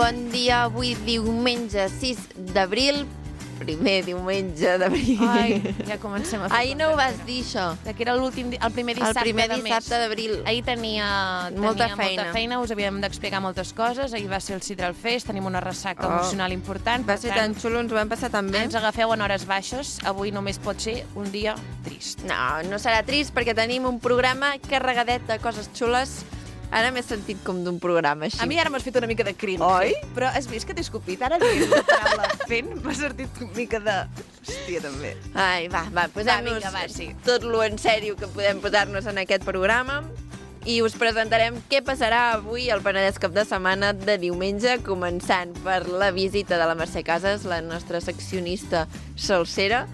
Bon dia, avui diumenge 6 d'abril, primer diumenge d'abril. Ai, ja comencem a fer Ahir no ho vas dir, això. que era el primer dissabte El primer de mes. dissabte d'abril. Ahir tenia Molta molta feina, us havíem d'explicar moltes coses. Ahir va ser el Sidral Fest, tenim una ressaca emocional important. Va ser tan xulo, ens ho vam passar tan bé. Ens agafeu en hores baixes, avui només pot ser un dia trist. No serà trist perquè tenim un programa carregadet de coses xules. Ara m'he sentit com d'un programa així. A mi ara m'has fet una mica de cringe. Oi? Però has vist que t'he escopit? Ara dient la paraula fent m'ha sortit una mica de... Hòstia, també. Ai, va, posem-nos sí. tot lo en sèrio que podem posar-nos en aquest programa i us presentarem què passarà avui al Penedès cap de setmana de diumenge, començant per la visita de la Mercè Casas, la nostra seccionista salsera,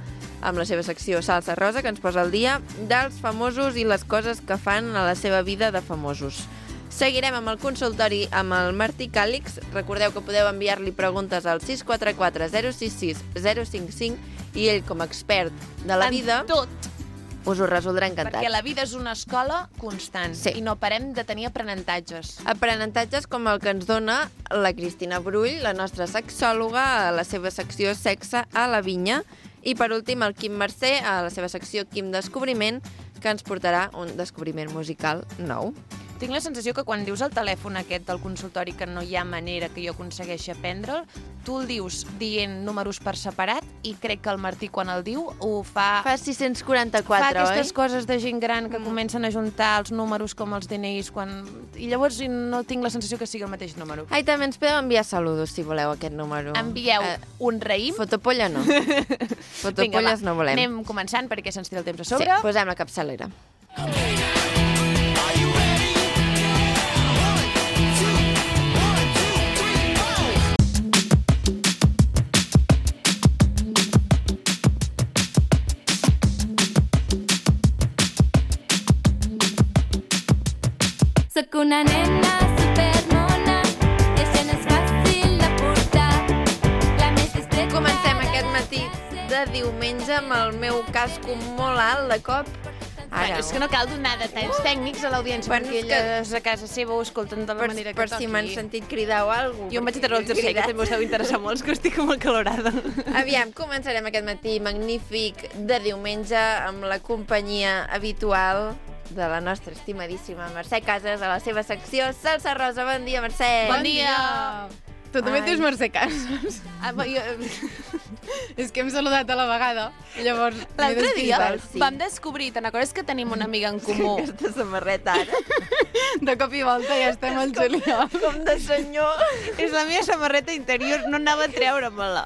amb la seva secció Salsa Rosa, que ens posa al dia dels famosos i les coses que fan a la seva vida de famosos. Seguirem amb el consultori amb el Martí Càlix. Recordeu que podeu enviar-li preguntes al 644 066 055 i ell, com a expert de la vida, tot. us ho resoldrà encantat. Perquè la vida és una escola constant Sí. i no parem de tenir aprenentatges. Aprenentatges com el que ens dona la Cristina Brull, la nostra sexòloga, a la seva secció Sexe a la Vinya. I per últim el Quim Mercè, a la seva secció Quim Descobriment, que ens portarà un descobriment musical nou. Tinc la sensació que quan dius el telèfon aquest del consultori que no hi ha manera que jo aconsegueixi aprendre'l, tu el dius dient números per separat i crec que el Martí quan el diu ho fa... Fa 644, fa aquestes oi? coses de gent gran que comencen a juntar els números com els DNIs i llavors no tinc la sensació que sigui el mateix número. Ai, també ens podeu enviar saludos, si voleu, aquest número. Envieu un raïm. Fotopolla no. Fotopolles no volem. Anem començant perquè se'ns tira el temps a Sí, sobre. posem la capçalera. Soc una nena supermona i això no és fàcil de portar. La més discreta... Comencem aquest matí de diumenge amb el meu casco molt alt de cop. Bueno, és que no cal donar detalls tècnics a l'audiència, Bueno, perquè és que- elles a casa seva ho escolten de la manera que Per toqui. si m'han sentit cridar o alguna cosa. Jo em vaig treure el jersei, que també us deu interessar molt, que estic molt calorada. Aviam, començarem aquest matí magnífic de diumenge amb la companyia habitual de la nostra estimadíssima Mercè Casas a la seva secció Salsa Rosa. Bon dia, Mercè. Bon dia! Tu també Ai. et dius Mercè Casas. És que hem saludat a la vegada. Llavors m'he L'altre dia despistat. sí. vam descobrir, te'n recordes que tenim una amiga en comú? Aquesta samarreta ara, De cop i volta ja estem al juliol. com de senyor. És la meva samarreta interior, no anava a treure-me-la.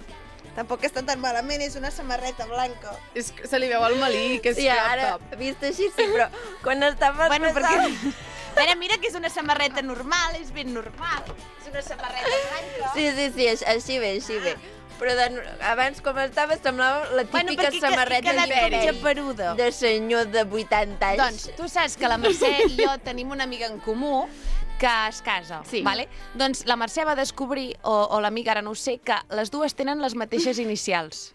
Tampoc està tan malament, és una samarreta blanca. És que se li veu el malí, que és Sí, crop ara, top. vist així, sí, però quan estava Bueno, passant... perquè... Espera, mira que és una samarreta normal, és ben normal. És una samarreta blanca. Sí, així bé. Però abans, com estava, semblava la típica perquè samarreta he quedat com geperuda. de senyor de 80 anys. Doncs tu saps que la Mercè i jo tenim una amiga en comú que es casa, Sí. vale? Doncs la Mercè va descobrir, o l'amiga, ara no ho sé, que les dues tenen les mateixes inicials.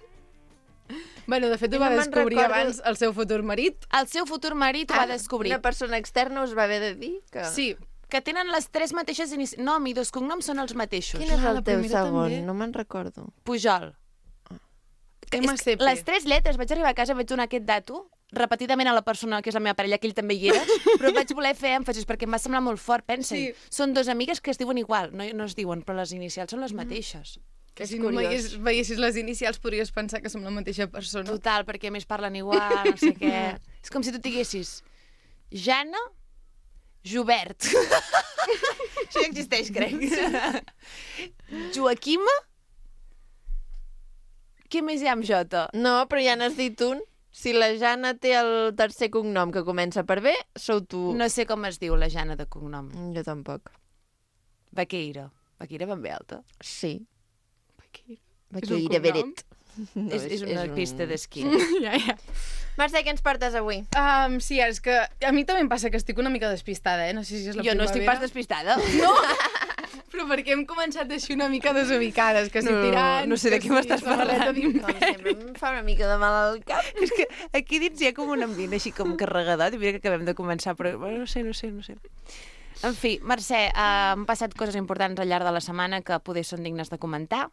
Bueno, de fet ho Jo va no me'n descobrir recordo. abans el seu futur marit. El seu futur marit ho va descobrir. Una persona externa us va haver de dir que... Sí. Que tenen les tres mateixes nom i dos cognoms són els mateixos. Quin és Clar, el la teu primera segon? també. No me'n recordo. Pujol. MCP. Les tres lletres, vaig arribar a casa, vaig donar aquest dato repetidament a la persona que és la meva parella, que ell també hi era, però vaig voler fer èmfasis perquè em va semblar molt fort, pensa-hi. Sí. Són dues amigues que es diuen igual, no es diuen, però les inicials són les mateixes. Que És si no curiós. veiessis les inicials podries pensar que som la mateixa persona. Total, perquè a més parlen igual, no sé què... És com si tu diguessis Jana Jubert. Això ja existeix, crec. Joaquima? Què més hi ha amb Jota? No, però ja n'has dit un. Si la Jana té el tercer cognom que comença per B, sou tu. No sé com es diu la Jana de cognom. Jo tampoc. Vaqueira. Vaqueira ben bé alta. Sí. És un Vaqueira cognom? Beret. No, és una pista d'esquí. Ja. Mercè, què ens portes avui? Sí, és que a mi també em passa que estic una mica despistada, No sé si és la Jo no estic pas despistada. No! Però perquè hem començat així una mica desubicades, que si tirant... no sé de que què m'estàs samarreta parlant. Com d'imperi. sempre, em fa una mica de mal al cap. És que aquí dins hi ha com un ambient així com carregadot i mira que acabem de començar, però bueno, no sé. En fi, Mercè, han passat coses importants al llarg de la setmana que poder són dignes de comentar.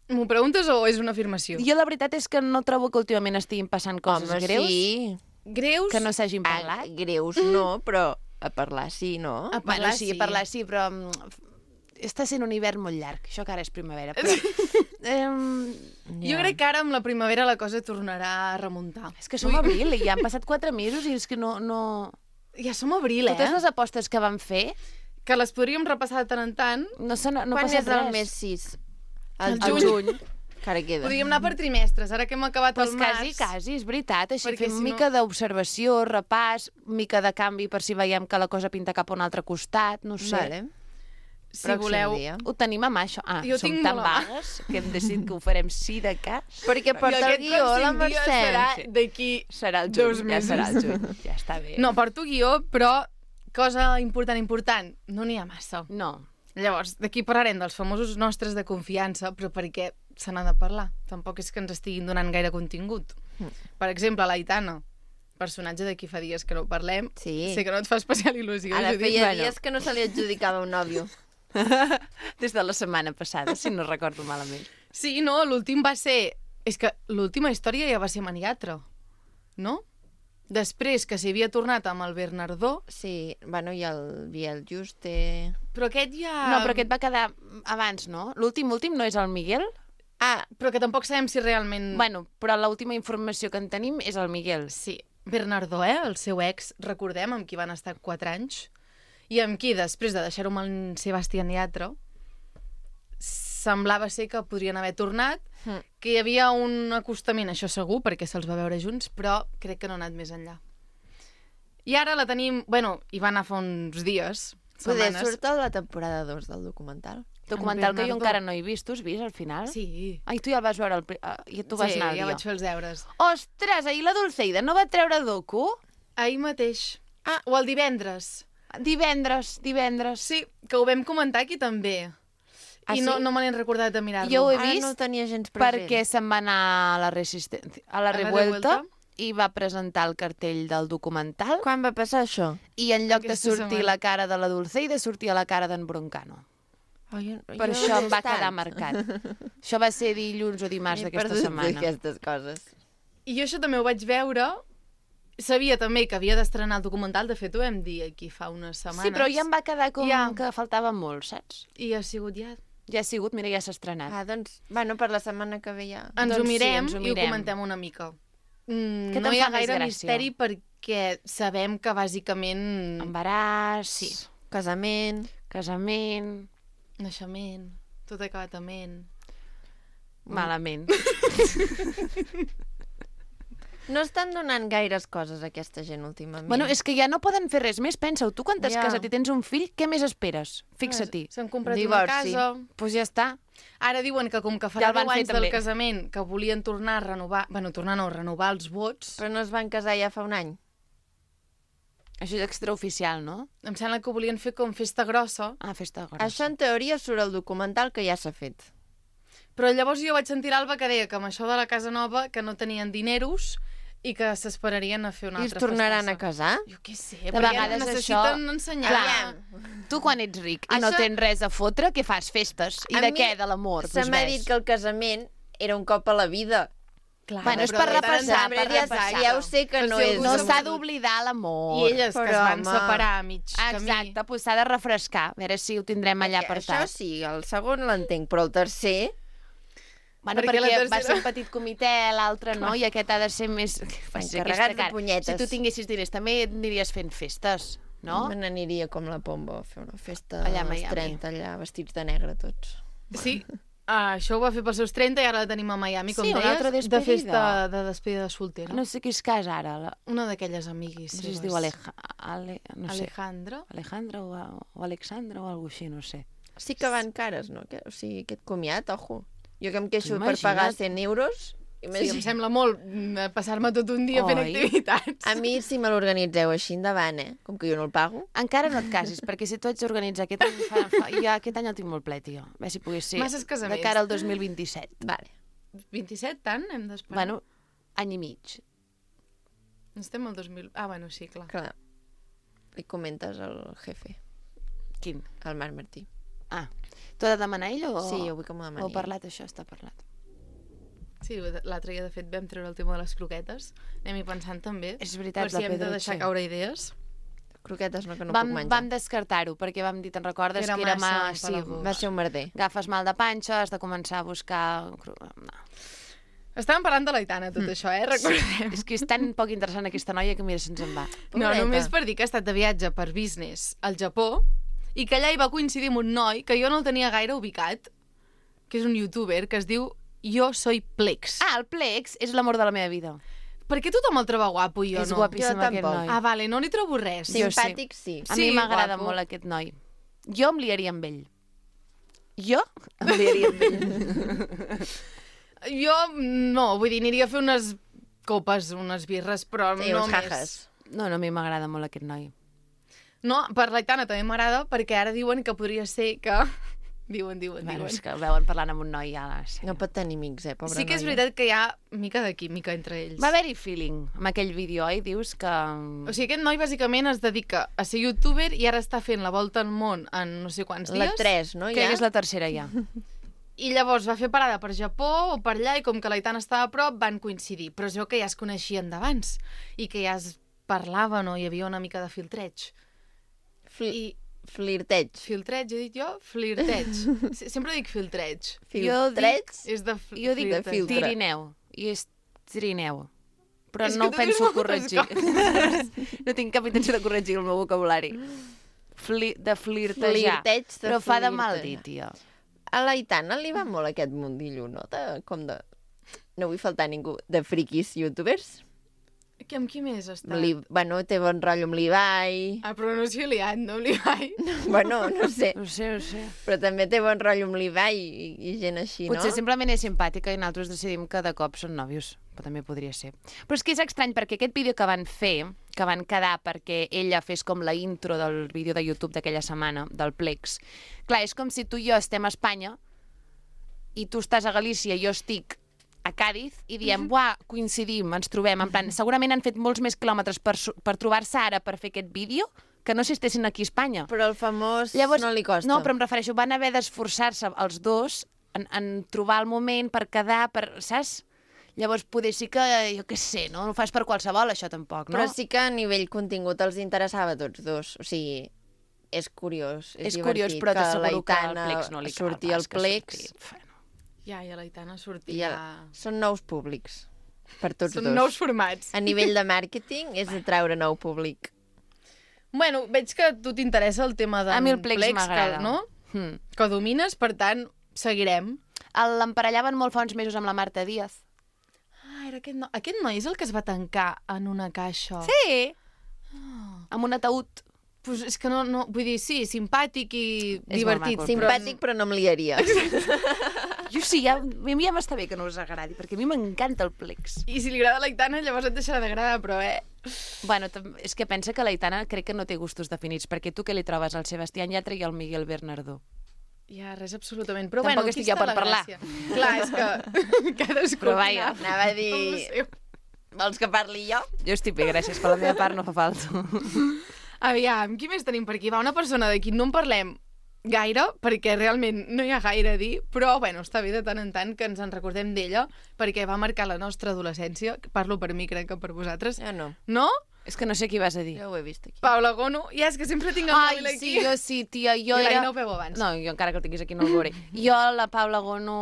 M'ho preguntes o és una afirmació? Jo la veritat és que no trobo que últimament estiguin passant coses greus sí. Greus? que no s'hagin parlat. Greus no, però a parlar sí, no? A parlar sí, sí. a parlar sí, però està sent un hivern molt llarg. Això que ara és primavera. Però, Jo crec que ara amb la primavera la cosa tornarà a remuntar. és que som abril i ja han passat 4 mesos i és que no... Ja som abril, Totes les apostes que vam fer Que les podríem repassar de tant en tant. no Quan passa és res. el mes 6? El Al juny. juny. Encara queda. Podríem anar per trimestres, ara que hem acabat Pues el març. quasi, és veritat. Així Perquè fem si no- mica d'observació, repàs, mica de canvi per si veiem que la cosa pinta cap a un altre costat, no sé. Vale. Si Pròxim voleu... dia. Ho tenim a mà, això. Jo som tinc tan molt a mà. vagues que hem decidit que ho farem sí de cas. Perquè I porta el aquest guió, la pròxim dia Mercè. serà Sí. d'aquí... Serà el 2 juny, ja mesos. serà el juny. Ja està bé. No, porto guió, però cosa important, no n'hi ha massa. No. Llavors, d'aquí parlarem dels famosos nostres de confiança, però perquè se n'ha de parlar. Tampoc és que ens estiguin donant gaire contingut. Per exemple, l'Aitana, personatge de qui fa dies que no parlem. Sí. Sé que no et fa especial il·lusió. Ara Judit. feia bueno. dies que no se li adjudicava un nòvio. Des de la setmana passada, si no recordo malament. Sí, no, l'últim va ser... És que l'última història ja va ser Maniatra, no? Després que s'hi havia tornat amb el Bernardó, Sí, bueno, i el Biel Juste... però aquest ja... No, però aquest va quedar abans, no? L'últim no és el Miguel? Ah, Però que tampoc sabem si realment... Bueno, però l'última informació que en tenim és el Miguel. Sí, Bernardó, el seu ex, recordem, amb qui van estar 4 anys, i amb qui, després de deixar-ho amb el Sebastián Yatra, semblava ser que podrien haver tornat, que hi havia un acostament, això segur, perquè se'ls va veure junts, però crec que no ha anat més enllà. I ara la tenim... Bueno, hi va anar fa uns dies, poder setmanes. surt a la temporada 2 del documental. Documental que jo Bernardo. encara no he vist. Tu has vist al final? Sí. Ai, tu ja el vas veure, i tu vas Sí, anar al ja dia. vaig fer els deures. Ostres, ahir la Dulceida no va treure docu? Ahir mateix. O el divendres. Divendres. Sí, que ho vam comentar aquí també. Ah, I sí? no me n'he recordat de mirar-lo. Jo ho he Ara vist no el tenia gens present. perquè se'n va anar a la Resistencia, a la la Revuelta, Revuelta? i va presentar el cartell del documental Quan va passar això? i en lloc de Aquesta sortir setmana. la cara de la Dulceida sortia la cara d'en Broncano. Oh, Per això em va quedar marcat. Això va ser dilluns o dimarts d'aquesta setmana. Aquestes coses. I jo això també ho vaig veure. Sabia també que havia d'estrenar el documental. De fet, ho vam dir aquí fa unes setmanes. Sí, però ja em va quedar com Ja. que faltava molt, saps? I ha sigut ja. Ja ha sigut, mira, ja s'ha estrenat. Ah, doncs, bueno, per la setmana que ve ja. Ens Doncs ho sí, mirem ens ho i ho mirem. comentem una mica. Què No te'n hi ha fa més gaire gràcia? misteri perquè sabem que bàsicament... Embaràs, Sí. Casament... casament, Naixement, tot ha acabat amb ment. malament. No estan donant gaires coses a aquesta gent últimament. Bueno, és que ja no poden fer res més. Pensa-ho, tu quan t'has Ja. casat i tens un fill, què més esperes? Fixa-t'hi. S'han comprat Divorci. una casa. Doncs pues ja està. Ara diuen que com que Ja farà el van 10 fer anys del també. casament, que volien tornar a renovar... Bueno, tornar no, renovar els vots. Però no es van casar ja fa un any. Això és extraoficial, no? Em sembla que ho volien fer com festa grossa. Ah, festa grossa. Això en teoria surt al documental que ja s'ha fet. Però llavors jo vaig sentir l'Alba que deia que amb això de la casa nova que no tenien dineros i que s'esperarien a fer una I es altra tornaran a festassa. casar? Jo què sé, De perquè vegades necessiten això- ensenyar. Clar. Tu quan ets ric i no Això- tens res a fotre, què fas? Festes? I A de mi què? De l'amor? Se m'ha dit que el casament era un cop a la vida. Clar, Bueno, és però per de tant en repassar, tant, per ja, repassar. ja ho sé que Per no si és... algú No s'ha s'ha perdut. d'oblidar l'amor. I elles que Però, es van home. separar a mig camí. Exacte, doncs s'ha de refrescar. A veure si ho tindrem allà Això apartat. sí, el segon l'entenc, però el tercer... Bueno, Perquè la perquè va tercera- ser un petit comitè, l'altre no, i aquest ha de ser més... Encarregat de punyetes. Si tu tinguessis diners, també aniries fent festes, no? Me n'aniria com la Pombo a fer una festa Allà a als Miami. 30, allà, vestits de negre tots. Sí, això ho va fer pels seus 30 i ara la tenim a Miami, com Sí, una deies, altra de despedida. festa de despedida de soltera. No sé qui es casa ara. Una d'aquelles amiguis No sé si seves. es diu no sé, Alejandra. Alejandra o Alexandra o alguna així, no sé. Sí que van cares, no? O sigui, aquest comiat, ojo. Jo que em queixo Tu per pagar imagina't. 100 euros... Sí, em sembla molt passar-me tot un dia fent Oi? activitats. A mi, si me l'organitzeu així endavant, com que jo no el pago... Encara no et casis, perquè si tu ets d'organitzar aquest any, ja aquest any el tinc molt ple, tio. A veure si pogués ser Masses casaments. de cara al 2027. Vale. 27, tant? Hem d'esperar. Bueno, any i mig. Estem al 2000... Ah, bueno, sí, clar. Clar. Li comentes al jefe. Quin? El Marc Martí. Ah, t'ho ha de demanar ell o... Sí, jo vull que m'ho demani. O parlat, això està parlat. Sí, l'altre dia, de fet, vam treure el tema de les croquetes. Anem-hi pensant també. És veritat, per si la hem de Pedro, deixar sí. caure idees. Croquetes no, que no Vam puc menjar. vam descartar-ho, perquè vam dir, te'n recordes, Era que era massa sí, empalagós. Va ser un merder. agafes mal de panxa, has de començar a buscar... No. Estàvem parlant de l'Aitana, tot això, recordem. És que és tan poc interessant aquesta noia que mira, se'ns en va. No, Pobreta. només per dir que ha estat de viatge per business al Japó i que allà hi va coincidir amb un noi que jo no el tenia gaire ubicat, que és un youtuber que es diu Yo Soy Plex. Ah, el Plex és l'amor de la meva vida. Per què tothom el troba guapo i jo És no? guapíssim Jo aquest tampoc. noi. Ah, vale, no li trobo res. Jo Simpàtic, sí. A mi Sí, m'agrada guapo. molt aquest noi. Jo em liaria amb ell. Jo em liaria amb ell. Jo no, vull dir, aniria a fer unes copes, unes birres, però Sí, no uns més. jajas. No, a mi m'agrada molt aquest noi. No, per l'Aitana també m'agrada perquè ara diuen que podria ser que... diuen. Bueno, és que el veuen parlant amb un noi ja... Sí. No pot tenir amics, pobra Sí que és noia. veritat que hi ha mica de química entre ells. Va haver-hi feeling amb aquell vídeo, oi? Dius que... O sigui, aquest noi bàsicament es dedica a ser youtuber i ara està fent la volta al món en no sé quants La dies. 3, no? Crec Ja? que és la tercera ja. I llavors va fer parada per Japó o per allà i com que l'Aitana estava a prop van coincidir. Però es veu que ja es coneixien d'abans i que ja es parlaven o hi havia una mica de filtreig. I Flirteig. filtreig, he dit jo? Flirteig. Sempre dic filtreig. Filtreig? És de Jo dic de filtre. tirineu, i és trineu. Però És no que ho tu dius penso moltes corregir. No tinc cap intenció de corregir el meu vocabulari. De flirtejar. Flirteig de Però fa de mal flirtejar. dir, tia. A l'Aitana li va molt aquest mundillo, no? Com de... No vull faltar ningú. De friquis youtubers. Amb qui més està? Bueno, té bon rotllo amb l'Ibai. Ah, però no s'hi ha liat, no li vaig. Bueno, no sé. No sé. Però també té bon rotllo amb l'Ibai i gent així, no? Potser simplement és simpàtica i nosaltres decidim que de cop són nòvios. Però també podria ser. Però és que és estrany, perquè aquest vídeo que van fer, que van quedar perquè ella fes com la intro del vídeo de YouTube d'aquella setmana, del Plex, clar, és com si tu i jo estem a Espanya i tu estàs a Galícia i jo estic a Càdiz i diem, buah, coincidim, ens trobem. En plan, segurament han fet molts més quilòmetres per trobar-se ara per fer aquest vídeo que no si estessin aquí a Espanya. Però el famós Llavors, no li costa. No, però em refereixo, van haver d'esforçar-se els dos en trobar el moment per quedar, saps? Llavors, poder sí que, jo què sé, no ho fas per qualsevol, això tampoc, no? Però sí que a nivell contingut els interessava a tots dos. O sigui, és curiós, és curiós, divertit però que t'asseguro que al l'Aitana Plex no li cal surti al pas que Plex surti. Ja, i a l'Aitana i sortia... són nous públics per tots Són dos. nous formats. A nivell de màrqueting és atraure nou públic. Bueno, veig que a tu t'interessa el tema del A mi el Plex m'agrada. no? Que domines, per tant, seguirem. L'emparellaven molt fa uns mesos amb la Marta Díaz. Ah, era aquest noi. Aquest noi és el que es va tancar en una caixa. Sí! Amb un ataúd. Pues és que no, vull dir, sí, simpàtic i És divertit. molt maco. Simpàtic, però no em liaria. Jo sí, a mi ja m'està bé que no us agradi, perquè a mi m'encanta el Plex. I si li agrada l'Aitana, llavors et deixarà d'agradar, però Bueno, és que pensa que l'Aitana crec que no té gustos definits, perquè tu què li trobes? El Sebastián Yatra i el Miguel Bernardó. Ja, res absolutament. Però Tampoc bueno, estic aquí jo està per la parlar. gràcia. Clar, és que cadascú... Però vaja, Anava a dir... No sé. Vols que parli jo? Jo estic bé, gràcies. Per la meva part no fa falta. Aviam, qui més tenim per aquí? Va, una persona de qui no en parlem gaire, perquè realment no hi ha gaire a dir, però bueno, està bé de tant en tant que ens en recordem d'ella, perquè va marcar la nostra adolescència. Parlo per mi, crec que per vosaltres. Jo no. No? És que no sé qui vas a dir. Jo ho he vist aquí. Paula Gono. Ja, és que sempre tinc el Ai, mòbil aquí. sí, jo sí, tia. Jo I era... no ho veu abans. No, jo encara que el tinguis aquí no el veuré. Jo, la Paula Gono...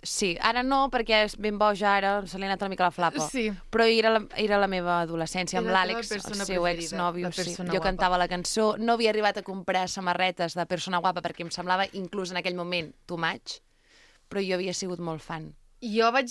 Sí, ara no, perquè és ben boja ara, se li ha anat una mica la flapa. Sí. Però era la meva adolescència amb És la l'Àlex, teva el persona seu preferida, exnòvio. la Sí. persona Jo guapa. cantava la cançó. No havia arribat a comprar samarretes de persona guapa perquè em semblava, inclús en aquell moment, too much, però jo havia sigut molt fan. Jo vaig...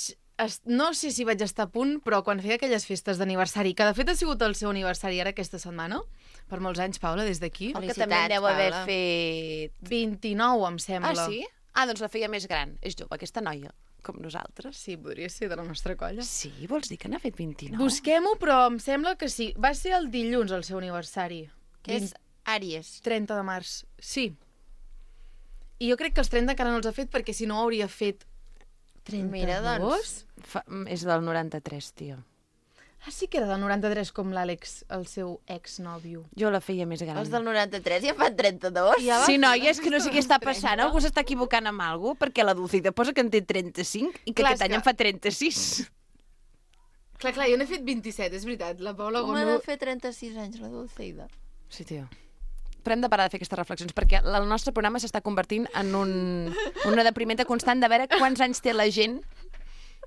No sé si vaig estar a punt, però quan feia aquelles festes d'aniversari, que de fet ha sigut el seu aniversari ara aquesta setmana, per molts anys, Paula, des d'aquí. Que Felicitats, també en deu haver Paula. fet... 29, em sembla. Ah, sí? Ah, doncs la feia més gran. És jove, aquesta noia, com nosaltres. Sí, podria ser de la nostra colla. Sí, vols dir que n'ha fet 29? Busquem-ho, però em sembla que sí. Va ser el dilluns, el seu aniversari. Que és Àries. 30 de març. Sí. I jo crec que els 30 encara no els ha fet, perquè si no hauria fet 32. Mira, doncs. És del 93, tio. Ah, sí que era del 93 com l'Àlex, el seu exnòvio. Jo la feia més gran. Els del 93 ja fan 32. Ja va Sí, fer noia, és que no sé què està 30. passant. Algú s'està equivocant amb alguna cosa, perquè la Dulcida posa que en té 35 i que Clar, aquest és any que- en fa 36. Clar, jo n'he fet 27, és veritat. La Paula Com ha Gonu... de fer 36 anys, la Dulceida? Sí, tio. Però hem de parar de fer aquestes reflexions, perquè el nostre programa s'està convertint en una deprimenta constant de veure quants anys té la gent.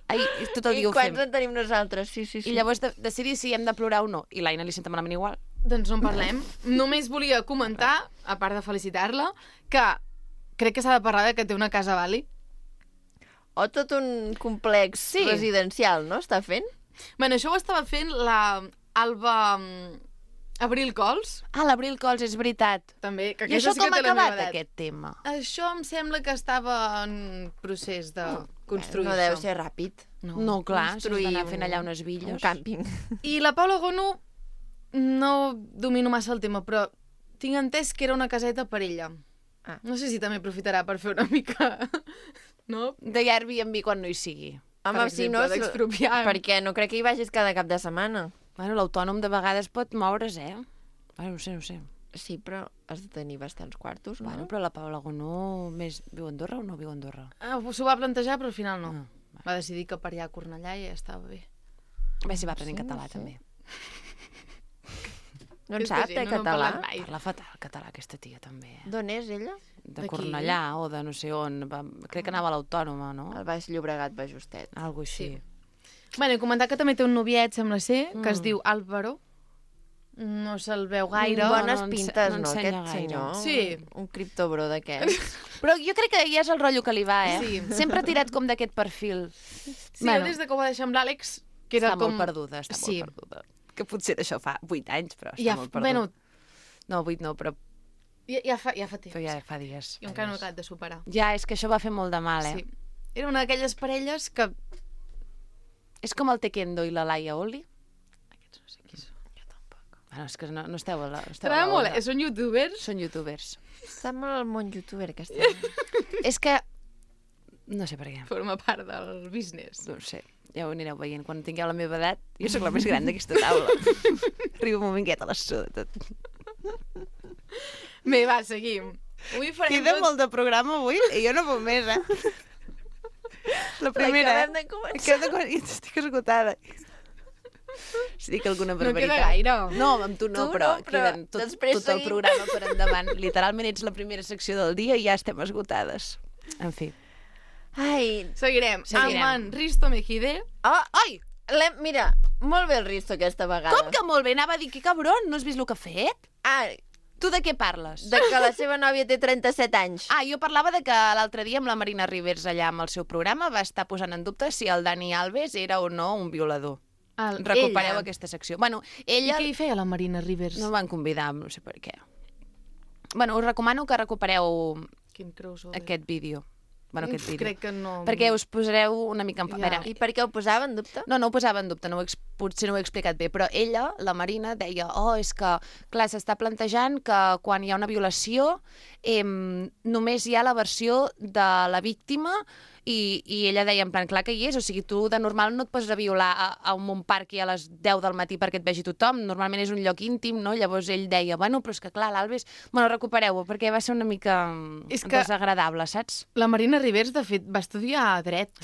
Ai, tot el I dia ho quants fem. en tenim nosaltres? Sí, sí, sí. I llavors decidir si hem de plorar o no. I l'Aina li senta malament igual. Doncs no en parlem. Només volia comentar, a part de felicitar-la, que crec que s'ha de parlar de que té una casa a Bali. O tot un complex Sí. residencial, no? Està fent? Bueno, això ho estava fent la Alba Abril Cols, Ah, l'Abril Cols, és veritat. també, que I això aquesta sí com que ha té la meva acabat, edat. aquest tema? Això em sembla que estava en procés de construir No deu això. ser ràpid. No, clar, s'ha Construir d'anar fent allà unes Un villes. càmping. I la Paula Gonu, no domino massa el tema, però tinc entès que era una caseta per ella. Ah. No sé si també aprofitarà per fer una mica... No? De Airbnb quan no hi sigui. Home, Per si exemple, no... d'expropiar. Perquè no crec que hi vagis cada cap de setmana. Bueno, l'autònom de vegades pot moure's, Bueno, no sé. Sí, però has de tenir bastants quartos, no? Bueno, però la Paula Gonó viu a Andorra o no viu a Andorra? S'ho va plantejar, però al final no. Ah, Va decidir que per allà a Cornellà ja estava bé. A veure si va aprenent català, també. No en Aquesta sap, gent de no català? parla mai. Parla fatal català, aquesta tia, també. D'on és ella? De D'aquí. Cornellà o de no sé on. Crec que anava a l'Autònoma, no? El Baix Llobregat, Baix Justet. Algo així. Bueno, i comentar que també té un noviet, sembla ser, que es diu Álvaro. No se'l veu gaire. Bones no pintes, no no, ensenya aquest gaire. senyor? Sí. Un criptobro d'aquests. Però jo crec que ja és el rotllo que li va, Sí. Sempre ha tirat com d'aquest perfil. Sí, bueno, des de que ho va deixar amb l'Àlex, que era Està com... molt perduda, està Sí. molt perduda. Que potser d'això fa 8 anys, però està Ja, molt perduda. bueno, No, 8 no, però ja fa temps. ja fa dies. Jo encara no he acabat de superar. Ja, és que això va fer molt de mal, Sí. Era una d'aquelles parelles que... És com el Tekendo i la Laia Oli. Aquests no sé qui són. Jo tampoc. Bueno, és que no esteu a la... T'agrada molt, són youtubers. Són youtubers. Està molt al món youtuber, aquesta. És que... No sé per què. Forma part del business. No ho sé. Ja ho anireu veient. Quan tingueu la meva edat, jo sóc la més gran d'aquesta taula. Arriba un moment que ja te la suda tot. Bé, va, seguim. Avui farem tot... de programa avui i jo no puc més, La L'acabem de començar. Jo estic esgotada. Si dic alguna No queda barbaritat. gaire. No, amb tu no, Tu però, no, però queden després tot el seguim. programa per endavant. Literalment ets la primera secció del dia i ja estem esgotades. En fi. Ai, Seguirem. Seguirem. Amb en Risto Mejide. oh, ai! Mira, molt bé el Risto aquesta vegada. Com que molt bé? Anava a dir, que cabron, no has vist el que ha fet? Ah, Tu de què parles? de que la seva nòvia té 37 anys. Ah, jo parlava de que l'altre dia amb la Marina Rivers allà amb el seu programa va estar posant en dubte si el Dani Alves era o no un violador. Recupereu ella. aquesta secció. Bueno, I ella... què hi feia la Marina Rivers? No em van convidar, no sé per què. Bueno, us recomano que recupereu Quin crossover. aquest vídeo. Bueno, aquest vídeo. Crec que no... Perquè us posareu una mica en... Ja. A veure, I per què ho posava en dubte? no ho posava en dubte, potser no ho he explicat bé, però ella, la Marina, deia, és que, clar, s'està plantejant que quan hi ha una violació només hi ha la versió de la víctima i ella deia, en plan, clar que hi és, o sigui, tu de normal no et poses a violar a un parc i a les 10 del matí perquè et vegi tothom, normalment és un lloc íntim, no? Llavors ell deia, bueno, però és que clar, l'Alves... Bueno, recupereu-ho, perquè va ser una mica És que- desagradable, saps? La Marina Rivers, de fet, va estudiar dret.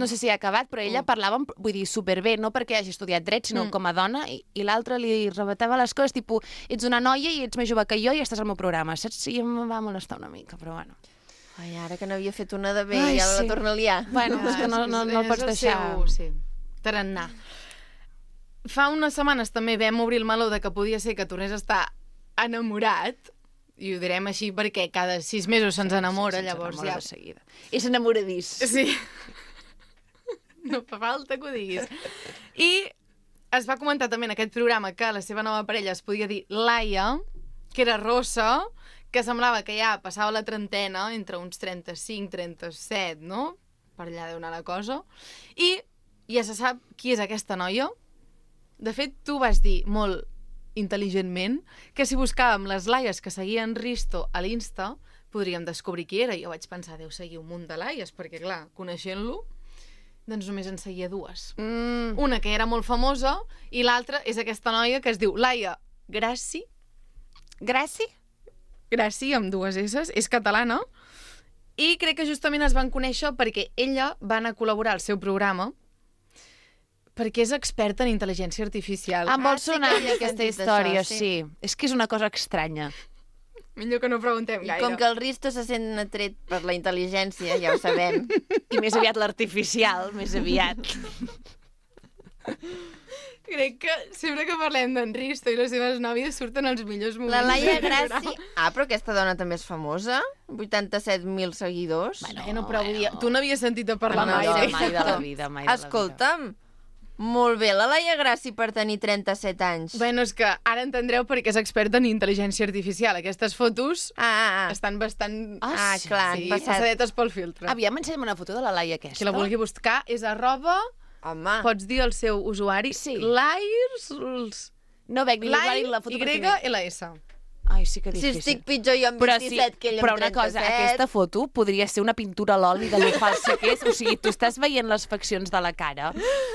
No sé si ha acabat, però ella parlava, vull dir, superbé, no perquè hagi estudiat dret, sinó com a dona, i l'altra li rebatava les coses, tipus, ets una noia i ets més jove que jo i estàs al meu programa, saps? I em va molestar una mica, però bueno. Ai, ara que n'havia fet una de bé, Ai, ja la sí. torna a liar. Bueno, és que no el pots deixar... Sí, tarannà. Fa unes setmanes també vam obrir el meló de que podia ser que tornés a estar enamorat, i ho direm així perquè cada 6 mesos se'ns enamora, llavors ja... De seguida. És enamoradís. Sí. No fa falta que ho diguis. I es va comentar també en aquest programa que la seva nova parella es podia dir Laia, que era rossa, que semblava que ja passava la trentena, entre uns 35, 37, no? Per allà deu anar la cosa. I ja se sap qui és aquesta noia. De fet, tu vas dir molt intel·ligentment que si buscàvem les Laies que seguien Risto a l'Insta, podríem descobrir qui era. Jo vaig pensar, deu seguir un munt de Laies, perquè clar, coneixent-lo... Doncs només en seguia dues. Mm. Una que era molt famosa i l'altra és aquesta noia que es diu Laia Grassi. Gràcia? Grassi, amb dues S, és catalana. I crec que justament es van conèixer perquè ella va anar a col·laborar al seu programa perquè és experta en intel·ligència artificial. Em vol sí sonar que a mi havia aquesta sentit història, això, sí. És que és una cosa estranya. Millor que no preguntem I gaire. com que el Risto se sent atret per la intel·ligència, ja ho sabem. I més aviat l'artificial, més aviat. Crec que sempre que parlem d'en Risto i les seves nòvies surten els millors moments. La Laia del programa. Grassi... Ah, però aquesta dona també és famosa? 87.000 seguidors? Bueno, però vull dir, tu n'havies sentit a parlar No, mai. no, eh? mai de la vida, mai de la vida. Escolta'm, molt bé, la Laia Grassi per tenir 37 anys. Bueno, és que ara entendreu perquè és experta en intel·ligència artificial. Aquestes fotos estan bastant... Ah, clar, han sí, passat. passadetes pel filtre. Aviam, ensenya'm una foto de la Laia aquesta. Qui la vulgui buscar és @ Home, pots dir el seu usuari? Sí. Lairs... No veig ni l'usuari ni la foto. YLS. Ai, sí que si difícil. estic pitjor jo amb 27 que ell amb 37... Però una cosa, aquesta foto podria ser una pintura a l'oli de lo falsa que és. O sigui, tu estàs veient les faccions de la cara,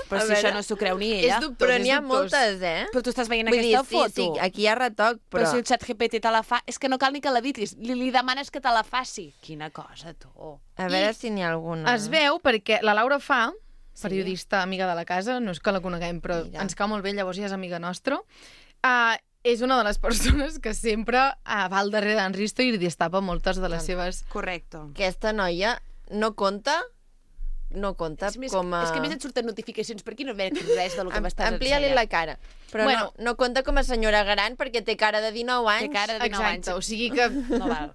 però A si veure, això no s'ho creu ni És ella. dubtós, Però és n'hi ha dubtós. moltes, eh? Però tu estàs veient Vull dir, aquesta foto. sí, aquí hi ha retoc, Però però... si el xat GPT te la fa... És que no cal ni que la ditis. Li demanes que te la faci. Quina cosa, tu. A veure si n'hi ha alguna. Es veu perquè la Laura Fa, periodista amiga de la casa, no és que la coneguem, però Mira. ens cau molt bé, llavors ja és amiga nostra, és una de les persones que sempre va al darrere d'en Risto i li destapa moltes de les seves... Correcte. Aquesta noia no compta És, més, com a... és que a més et surten notificacions per aquí, no veig res del que m'estàs Amplia-li ensenyant. la cara. Però Bueno. no compta com a senyora gran perquè té cara de 19 anys. Té cara de 19 Exacte, anys. o sigui que... No val.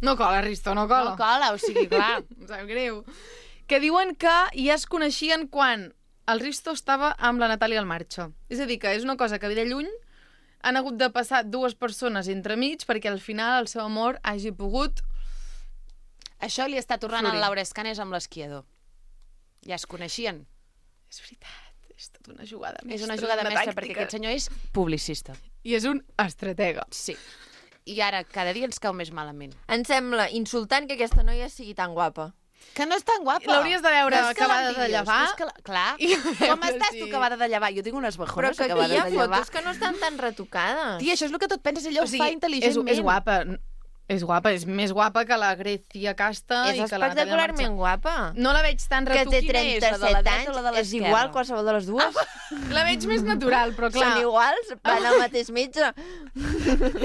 No cola, Risto, no cola. No cola, o sigui, clar. Em sap greu. Que diuen que ja es coneixien quan el Risto estava amb la Natàlia al Marxa. És a dir, que és una cosa que ve de lluny, han hagut de passar dues persones entremig perquè al final el seu amor hagi pogut... Això li està tornant Florir. al Laura Escanes amb l'esquiador. Ja es coneixien. És veritat, és tota una jugada mestra. És una jugada mestra tàctica. perquè aquest senyor és publicista. I és un estratega. Sí. I ara cada dia ens cau més malament. Em sembla insultant que aquesta noia sigui tan guapa. Que no és tan guapa. L'hauries de veure No és que acabada de l'envidies, llevar. és que clar. I a veure Com estàs si- tu acabada de llevar? Jo tinc unes Però bajones que aquí acabades hi ha de llevar. fotos que no estan tan retocades. Tia, això és el que tot penses, ella ho fa intel·ligentment. és guapa. És guapa, és més guapa que la Grecia Casta És i que la Natàlia espectacularment guapa. No la veig tan Que té retuquina. és, la de la 37 dreta o la de anys, és l'esquerra? igual qualsevol de les dues. La veig més natural, però clar... Són iguals, van al mateix metge.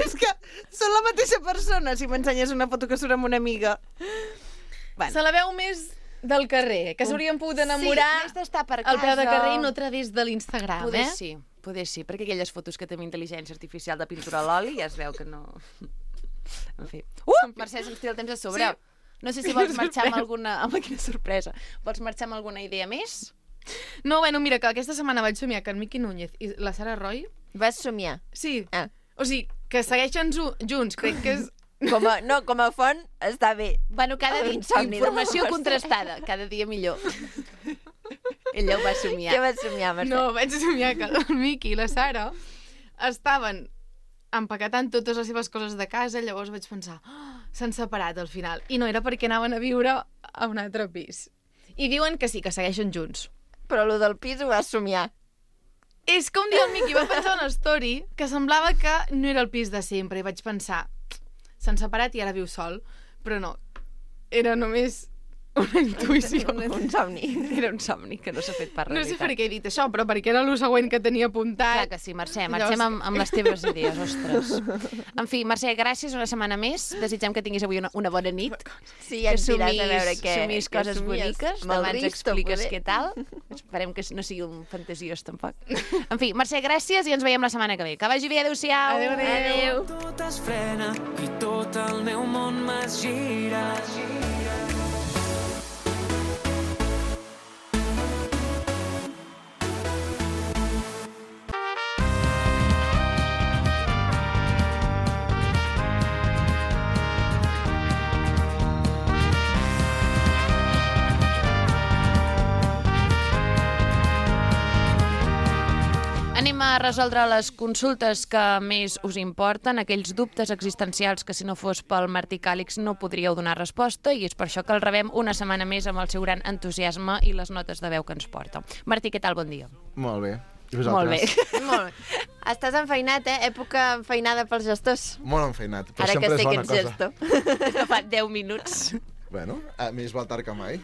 És que són la mateixa persona, si m'ensenyes una foto que surt amb una amiga. Bueno. Se la veu més del carrer, que s'haurien pogut enamorar més d'estar per al peu de casa. carrer i no a través de l'Instagram, Poder sí, perquè aquelles fotos que té amb intel·ligència artificial de pintura a l'oli ja es veu que no... En fi. Mercè, se'ns tira el temps a sobre. Sí. No sé si vols marxar amb alguna... Home, quina sorpresa. Vols marxar amb alguna idea més? No, bueno, mira, que aquesta setmana vaig somiar que en Miqui Núñez i la Sara Roy... Vas somiar. Sí, Ah. o sigui, que segueixen junts, crec que és... Com a font està bé. Bueno, cada dia L'insomni de informació la Mercè. contrastada. Cada dia millor. Ella ho va somiar. Què vas somiar, Mercè? No, vaig somiar que el Miqui i la Sara estaven empaquetant totes les seves coses de casa, llavors vaig pensar, s'han separat al final. I no era perquè anaven a viure a un altre pis. I diuen que sí, que segueixen junts. Però lo del pis ho vas somiar. És que un dia el Miqui va pensar una story que semblava que no era el pis de sempre i vaig pensar, s'han separat i ara viu sol. Però no, era només una intuïció. Un somni. Era un somni que no s'ha fet per No sé realitat. per què he dit això, però perquè era el següent que tenia apuntat. Clar que sí, Mercè, marxem amb les teves idees, ostres. En fi, Mercè, gràcies una setmana més. Desitgem que tinguis avui una bona nit. Sí, ja ens diràs a veure què... Somis què coses somies. boniques. Amb el Demà ens Risto, expliques poder. què tal. Esperem que no sigui un fantasiós, tampoc. En fi, Mercè, gràcies i ens veiem la setmana que ve. Que vagi bé, adéu-siau. Adéu, adéu. Tot es frena i tot el meu món m'es gira. Anem a resoldre les consultes que més us importen, aquells dubtes existencials que si no fos pel Martí Càlix no podríeu donar resposta, i és per això que el rebem una setmana més amb el seu gran entusiasme i les notes de veu que ens porta. Martí, què tal? Bon dia. Molt bé. I Molt bé. vosaltres? Molt bé. Estàs enfeinat, Època enfeinada pels gestors. Molt enfeinat, però Ara que sempre sé és que bona ets cosa. gestor. No fa 10 minuts. Bueno, més val tard que mai.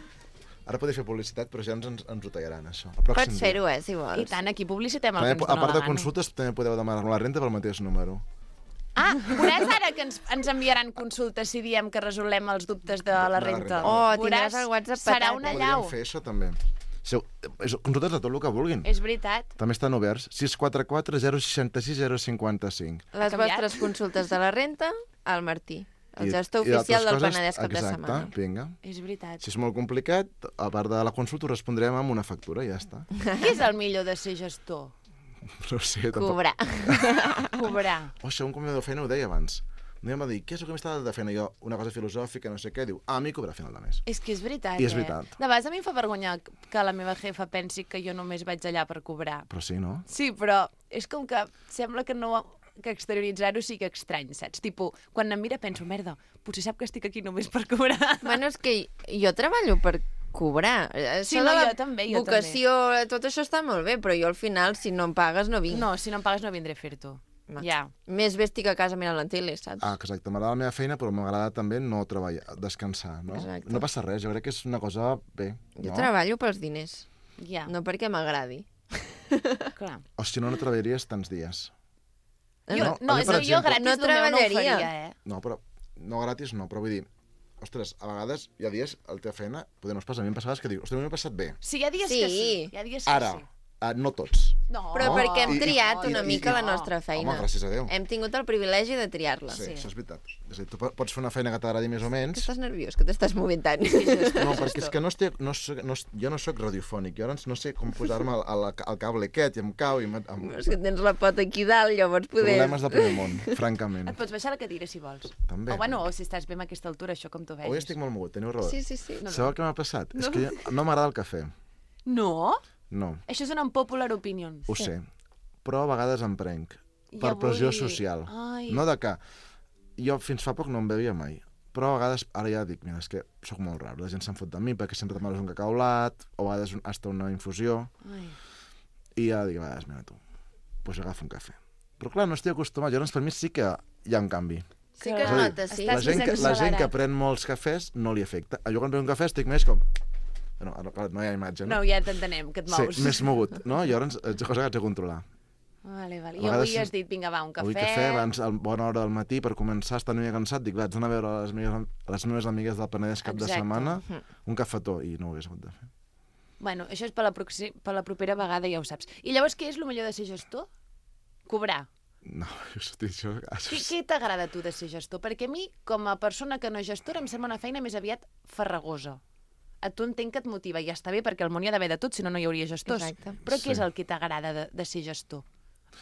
Ara podeu fer publicitat, però ja ens ho tallaran, això. Pots fer-ho, si vols. I tant, aquí publicitem el que També, ens a dóna part la de gana. consultes, també podeu demanar la renta pel mateix número. Ah, veuràs ara que ens enviaran consultes si diem que resolem els dubtes de la renta. Oh, tindràs el WhatsApp Serà petat, una eh? llau. Podríem fer això, també. Consultes de tot el que vulguin. És veritat. També estan oberts. 644 066 055. Les canviat? vostres consultes de la renta, al Martí, el gestor I oficial d'altres del coses, Penedès cap de exacte, setmana. vinga. És veritat. Si és molt complicat, a part de la consulta, ho respondrem amb una factura i ja està. Què és el millor de ser gestor? No ho sé, tampoc. Cobrar. Cobrar. Oh, això un convidador de feina ho deia abans. Un dia em va dir, què és el que m'està de feina? Jo, una cosa filosòfica, no sé què, diu, a mi cobrar a final de mes. És que és veritat, I és veritat. De vegades a mi em fa vergonya que la meva jefa pensi que jo només vaig allà per cobrar. Però sí, no? Sí, però és com que sembla que no que exterioritzar-ho sigui estrany, saps? Tipo, quan em mira penso, merda, potser sap que estic aquí només per cobrar. Bueno, és que jo treballo per cobrar. Sí, Això no, de la jo també, jo vocació, tot això està molt bé, però jo al final, si no em pagues, no vinc. No, si no em pagues no vindré a fer-t'ho. Ja. Més bé estic a casa mirant la tele, saps? Ah, exacte, m'agrada la meva feina, però m'agrada també no treballar, descansar, no? Exacte. No passa res, jo crec que és una cosa bé, Jo no? treballo pels diners, Ja, no perquè m'agradi. clar. O si no, no treballaries tants dies. Jo, No, a mi, per jo exemple- gratis No del meu no ho treballaria. faria, No, però no gratis no, però vull dir, ostres, a vegades hi ha dies a la teva feina, potser no es passa, a mi em passa que dic, ostres, a mi m'ha passat bé. Sí, hi ha dies Sí. que sí. Hi ha dies que Ara, sí. no tots. No. Però perquè hem I- triat i- una i- mica i- la nostra feina. Home, gràcies a Déu. Hem tingut el privilegi de triar-la. Sí, això és veritat. És a dir, tu pots fer una feina que t'agradi més o menys. Estàs nerviós, que t'estàs movent tant. No, perquè és que jo no soc radiofònic, jo ara no sé com posar-me al cable aquest i em cau i És que tens la pota aquí dalt, llavors poder... problemes de primer món, francament. Et pots baixar la cadira si vols. També. O bueno, o si estàs bé amb aquesta altura, això com tu vegis. Avui estic molt mogut, teniu raó. Sí, sí, sí. Sabeu què m'ha passat? És que no m'agrada el cafè. No? No, Això és una unpopular opinion. ho sé. Però a vegades em prenc. I Per pressió avui- social. Ai. No de que... Jo fins fa poc no em bevia mai. Però a vegades, ara ja dic, mira, és que sóc molt raro. La gent se'n fot de mi perquè sempre tomaves un cacaulat, o a vegades hasta una infusió. Ai. I ja dic, a vegades, mira tu, doncs agafo un cafè. Però clar, no estic acostumat. Llavors, per mi sí que hi ha un canvi. Sí que es És a dir, nota, sí. Estàs La gent accelerat. que pren molts cafès no li afecta. Jo quan bevo un cafè estic més com... No, ara, clar, no hi ha imatge, no? No, ja t'entenem, que et mous. Sí, més mogut, no? Llavors, és una cosa que haig de controlar. Vale, vale. A I avui vegades- has dit, vinga, va, un cafè. Avui cafè, abans, a bona hora del matí, per començar, estar una mica cansat, dic, vaig anar a veure les meves amigues del Penedès cap de Exacte. setmana, un cafetó, i no ho hagués hagut de fer. Bueno, això és per la propera vegada, ja ho saps. I llavors, què és el millor de ser gestor? Cobrar. No, això... Què t'agrada a tu de ser gestor? Perquè a mi, com a persona que no és gestora, em sembla una feina més aviat farragosa. A tu entenc que et motiva, i ja està bé, perquè al món hi ha d'haver de tot, si no, no hi hauria gestors. Exacte. Però què Sí. és el que t'agrada de ser gestor?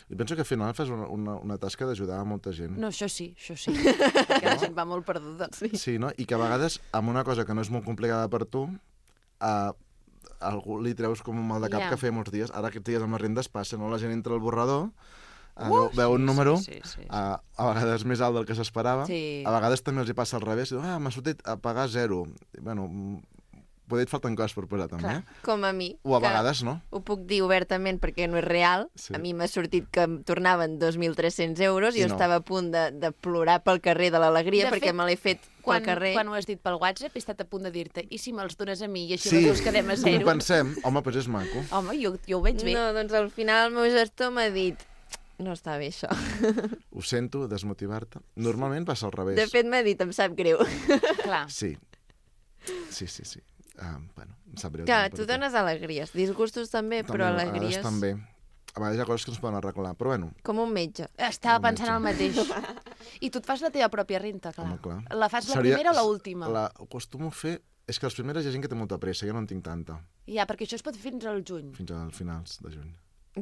I penso que al final fas una tasca d'ajudar a molta gent. No, això sí, perquè la gent va molt perduda. Sí, no? I que a vegades, amb una cosa que no és molt complicada per tu, a algú li treus com un mal de cap Ja. que feia molts dies. Ara aquests dies amb les rendes passa, no? La gent entra al borrador, veu un número, sí. a vegades més alt del que s'esperava, Sí. a vegades també els hi passa al revés, i diu, m'ha sortit a pagar 0. I, bueno, poder et falten coses per posar també, Com a mi. o a que vegades no. Ho puc dir obertament perquè no és real. Sí. A mi m'ha sortit que em tornaven 2.300 euros i I jo no. estava a punt de plorar pel carrer de l'alegria De perquè fet, me l'he fet pel carrer. Quan ho has dit pel WhatsApp, he estat a punt de dir-te, i si me'ls dones a mi i així Sí, les dues quedem a com zero? pensem, home, doncs és maco. Home, jo ho veig bé. No, doncs al final el meu gestor m'ha dit no està bé això. Ho sento, desmotivar-te. Normalment passa al revés. De fet m'ha dit em sap greu. Clar. Sí. Sí. Bueno, em sap greu. Clar, també tu per dones alegries, disgustos també, però a vegades alegries també. A vegades hi ha coses que no es poden arreglar, però bueno, com un metge. Estava pensant el mateix. I tu et fas la teva pròpia renta, clar. home, clar. La fas la primera o l'última? Ho acostumo a fer... És que les primeres hi ha gent que té molta pressa, jo no en tinc tanta, Ja, perquè això es pot fer fins al juny. fins al finals de juny.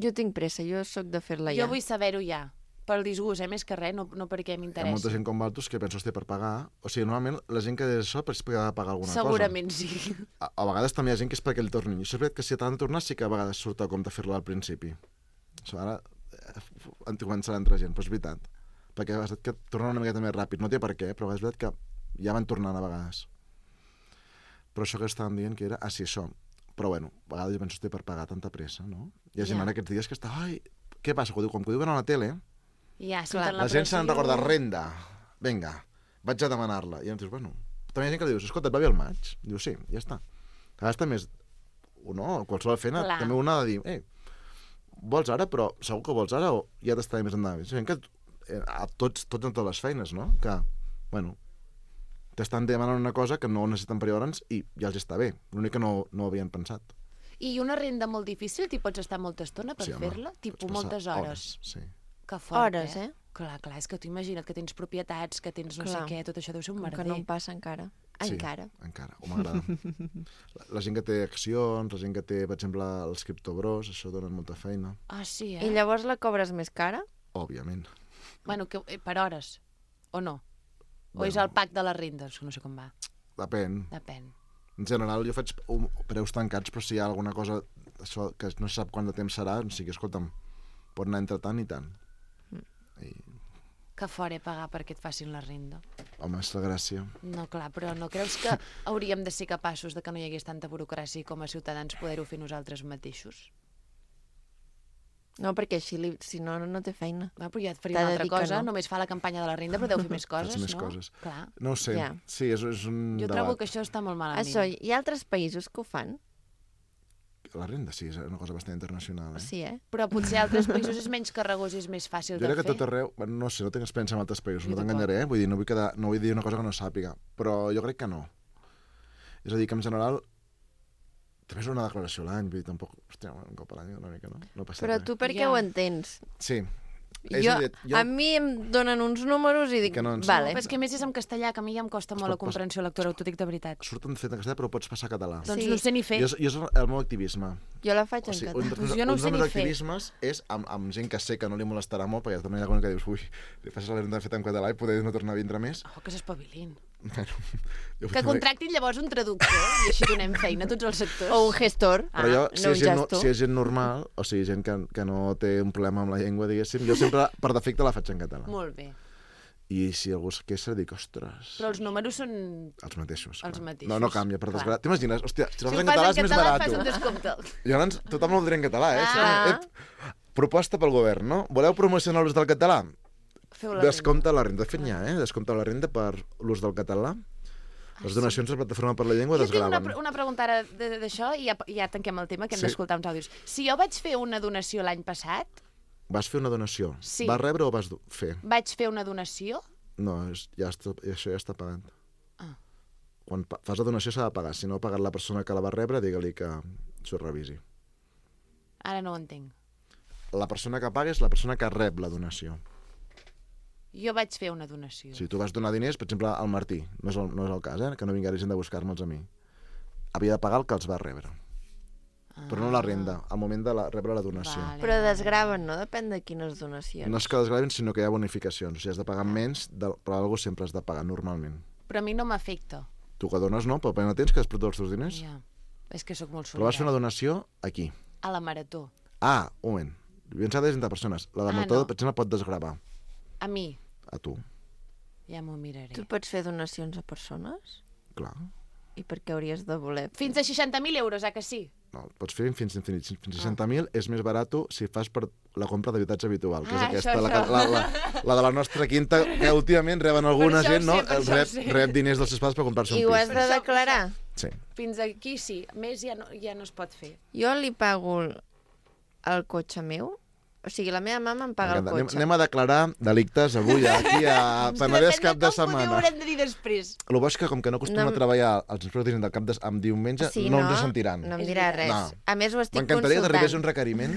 Jo tinc pressa, jo sóc de fer-la Jo ja. vull saber-ho ja. Pel disgust, més que res, no perquè Hi ha molta m'interessa. gent com vosaltres que penso, hòstia, per pagar... O sigui, normalment la gent que és això és perquè ha de pagar alguna Segurament sí. cosa. A vegades també hi ha gent que és perquè li tornin. I això és veritat que si t'han de tornar sí que a vegades surt a compte fer-la al principi. Això ara començarà a entrar gent, però és veritat. Perquè és que tornen una miqueta més ràpid. No té per què, però és veritat que ja van tornant a vegades. Però això que estàvem dient que era... Ah, sí, això. Però bueno, a vegades jo penso que té per pagar tanta pressa, no? Hi ha gent ara aquests dies que està... Ai, què passa? Com que ho diuen a la tele, Ja, la gent se n'en recorda renda. Vinga, vaig a demanar-la. I llavors dius, bueno... També hi ha gent que li dius, escolta, et va bé el maig? Diu, sí, ja està. A vegades també és... No, qualsevol feina, també un ha de dir, vols ara, però segur que vols ara o ja t'estaré més endavant. És que a tots en totes les feines, no? Que, bueno, t'estan demanant una cosa que no necessiten per llavors i ja els està bé. L'únic que no havien pensat. I una renda molt difícil, t'hi pots estar molta estona per fer-la? Tipus moltes hores. Sí. Que fort, Hores, eh? Clar, és que tu imagina't que tens propietats, que tens no sé què, tot això deu ser un merder. Que no em passa encara. Encara. Sí, encara. O m'agrada. La gent que té accions, la gent que té, per exemple, els criptobros, això donen molta feina. Ah, sí, I llavors la cobres més cara? Òbviament. Bueno, per hores, o no? O és el pack de les rendes, que no sé com va. Depèn. En general, jo faig preus tancats, però si hi ha alguna cosa això, que no se sap quant de temps serà, o sigui, escolta'm, pot anar entre tant i tant. Que fora pagar perquè et facin la renda. Home, és la gràcia. No, clar, però no creus que hauríem de ser capaços de que no hi hagués tanta burocràcia com a ciutadans poder-ho fer nosaltres mateixos? No, perquè així, si no, no té feina. Però ja et faria una altra cosa, només fa la campanya de la renda, però deu fer més coses, més no? Coses. Clar. No ho sé. Sí, és un Jo trobo que això està molt malament. Això, hi ha altres països que ho fan? La renda sí, és una cosa bastant internacional, Sí, Però potser a altres països és menys carregós i és més fàcil de fer. Jo crec que tot arreu... No sé, no tinc experiència en altres països, no t'enganyaré, vull dir, no vull dir una cosa que no sàpiga, però jo crec que no. És a dir, que en general també és una declaració a l'any, vull dir, tampoc... Hòstia, un cop a l'any una mica, no? No passa però res. tu per què ho entens? Sí. A mi em donen uns números i dic, vale. Però és que a més és en castellà, que a mi ja em costa molt la comprensió lectora, t'ho dic de veritat. Surten fet en castellà, però ho pots passar a català. Doncs no sé ni fer. Jo és el meu activisme. Jo la faig en català. Jo no ho sé ni fer. Un dels meus activismes és amb gent que sé que no li molestarà molt, perquè també hi ha alguna que dius, ui, li fas la renda feta en català i poder no tornar a vindre més. Oh, que s'espavilin. Bueno, que contractin llavors un traductor i així donem feina a tots els sectors. O un gestor. Però jo, si és gent normal, o sigui, gent que no té un problema amb la llengua, diguéssim, jo sempre, per defecte, la faig en català. Molt bé. I si algú es queixa, dic, ostres... Però els números són... Els mateixos. Els mateixos. No canvia, per desgràcia. T'imagines? Hòstia, si la fas en en català és més barat. fas un descompte. Llavors, tothom el dirà en català, Proposta pel govern, no? Voleu promocionar l'ús del català? Descompte la renda. De fet, n'hi ha, Descompte la renda per l'ús del català. Les donacions a la Plataforma per la Llengua desgraven. Jo tinc una pregunta ara d'això i ja tanquem el tema, que hem d'escoltar uns àudios. Si jo vaig fer una donació l'any passat... Vas fer una donació? Sí. Vas rebre o vas fer? Vaig fer una donació? No, això ja està pagat. Quan fas la donació s'ha de pagar. Si no ha pagat la persona que la va rebre, digue-li que s'ho revisi. Ara no ho entenc. La persona que paga és la persona que rep la donació. Jo vaig fer una donació. Si tu vas donar diners, per exemple, al Martí, no és el cas, que no vingués gent de buscar-me'ls a mi. Havia de pagar el que els va rebre. Però no la renda, al moment de rebre la donació. Però desgraven, no? Depèn de quines donacions. No és que desgraven, sinó que hi ha bonificacions. O sigui, has de pagar menys, però algú sempre has de pagar, normalment. Però a mi no m'afecta. Tu que dones no, però no tens que després tots els teus diners. Ja, és que sóc molt solidària. Però vas fer una donació aquí. A la Marató. Ah, un moment. Pensava de 30 persones. La de Marató, per exemple, pot desgravar. A mi? A tu. Ja m'ho miraré. Tu pots fer donacions a persones? Clar. I per què hauries de voler? Fins a 60.000 euros, que sí? No, pots fer fins a 60.000 és més barat si fas per la compra d'habitatge habitual, que és aquesta, la de la nostra quinta, que últimament reben alguna gent, no? Rep diners dels seus pares per comprar-se un pis. I ho has de declarar? Sí. Fins aquí sí, més ja no es pot fer. Jo li pago el cotxe meu. O sigui, la meva mama em paga el cotxe. Anem a declarar delictes avui aquí a Penedès cap de setmana. Ho haurem de dir després. El bo és que, com que no acostuma a treballar els inspectors del cap amb diumenge, no ens sentiran. No em dirà res. A més, ho estic consultant. M'encantaria que arribés un requeriment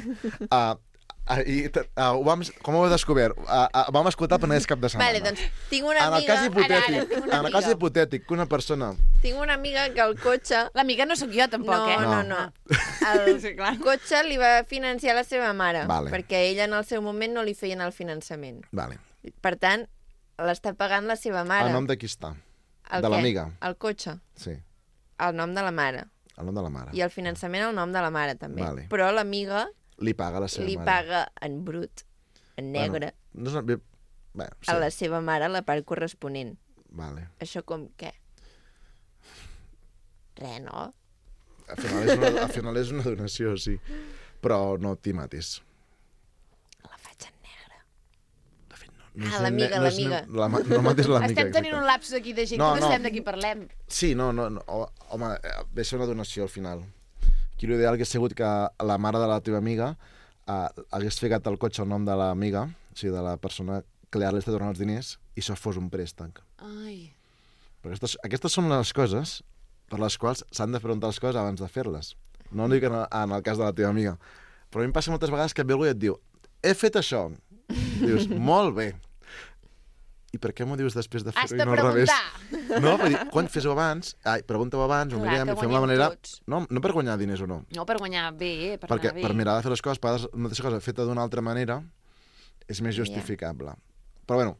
com ho heu descobert? Vam escoltar Penedès cap de setmana. Vale, doncs tinc una amiga... En el cas hipotètic que una persona... Tinc una amiga que el cotxe... L'amiga no sóc jo, tampoc, No. El cotxe li va financiar la seva mare, perquè ella en el seu moment no li feien el finançament. Per tant, l'està pagant la seva mare. El nom de qui està? De l'amiga? El cotxe. Sí. El nom de la mare. El nom de la mare. I el finançament el nom de la mare, també. Però l'amiga Li paga a la seva li mare. paga en brut, en negre, No és una... Bé, sí. a la seva mare la part corresponent. Vale. Això com què? Res, no? Al final és una donació, sí. Però no t'hi matis. La faig en negre. De fet, no, Ah, l'amiga. No matis l'amiga. Estem tenint exacte. un lapsus aquí de gent No, que no no. sabem de qui parlem. Sí, no. Home, ve a ser una donació al final. Aquí l'ideal hagués sigut que la mare de la teva amiga hagués ficat al cotxe el nom de l'amiga, o sigui, de la persona que li està donant els diners, i això fos un préstec. Ai. Però aquestes són les coses per les quals s'han de preguntar les coses abans de fer-les. No dic en el cas de la teva amiga. Però a mi em passa moltes vegades que et ve algú i et diu he fet això. Dius, molt bé. I per què m'ho dius després de Has fer-ho de i no al revés? preguntar. No, vull dir, quan fes-ho abans, pregunta-ho abans, ho Clar, mirem que i fem la guanyem manera... tots. No per guanyar diners o no. No, per guanyar bé, per Perquè anar bé. per mirar de fer les coses, per vegades una mateixa cosa feta d'una altra manera és més justificable. Però bueno,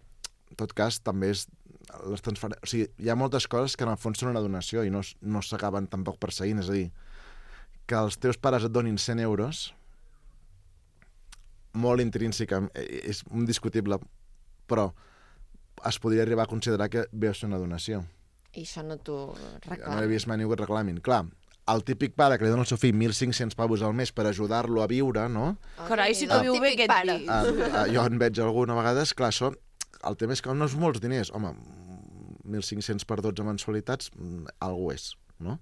en tot cas, també és les transferències... O sigui, hi ha moltes coses que en el fons són una donació i no s'acaben tampoc perseguint. És a dir, que els teus pares et donin 100 euros, molt intrínsecament, és indiscutible, però es podria arribar a considerar que ve a ser una donació. I això no t'ho No reclamo. he vist mai ningú que et reclamin. Clar, el típic pare que li dona al seu fill 1.500 pavos al mes per ajudar-lo a viure, no? Carai, si El t'ho viu bé típic aquest pare. fill. Jo en veig alguna vegada, clar, això, el tema és que no és molts diners. Home, 1.500 per 12 mensualitats, algú és, no?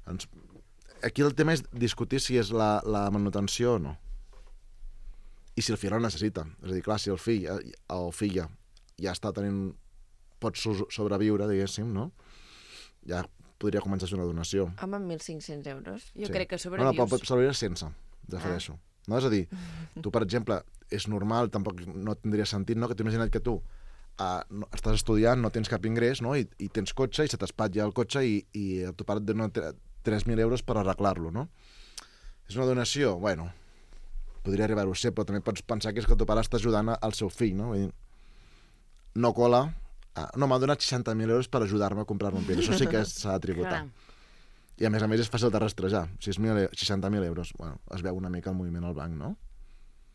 Doncs, aquí el tema és discutir si és la manutenció o no. I si el fill la necessita. És a dir, clar, si el fill o filla ja està tenint... pot sobreviure, diguéssim, no? Ja podria començar a ser una donació. Home, amb 1.500 euros. Jo crec que No, sobrevius. pot sobreviure sense, prefereixo. No? És a dir, tu, per exemple, és normal, tampoc no tindria sentit, no? Que t'imagina't que tu estàs estudiant, no tens cap ingrés, no? I tens cotxe i se t'espatlla el cotxe i el teu pare et dona 3.000 euros per arreglar-lo, no? És una donació? Bueno, podria arribar-ho a ser, però també pots pensar que és que el teu pare està ajudant al seu fill, no? Vull dir, no cola... no, m'ha donat 60.000 euros per ajudar-me a comprar-me un pit. Això sí que s'ha de tributar. Clar. I a més és fàcil de rastrejar. 60.000 euros. Bueno, es veu una mica el moviment al banc, no?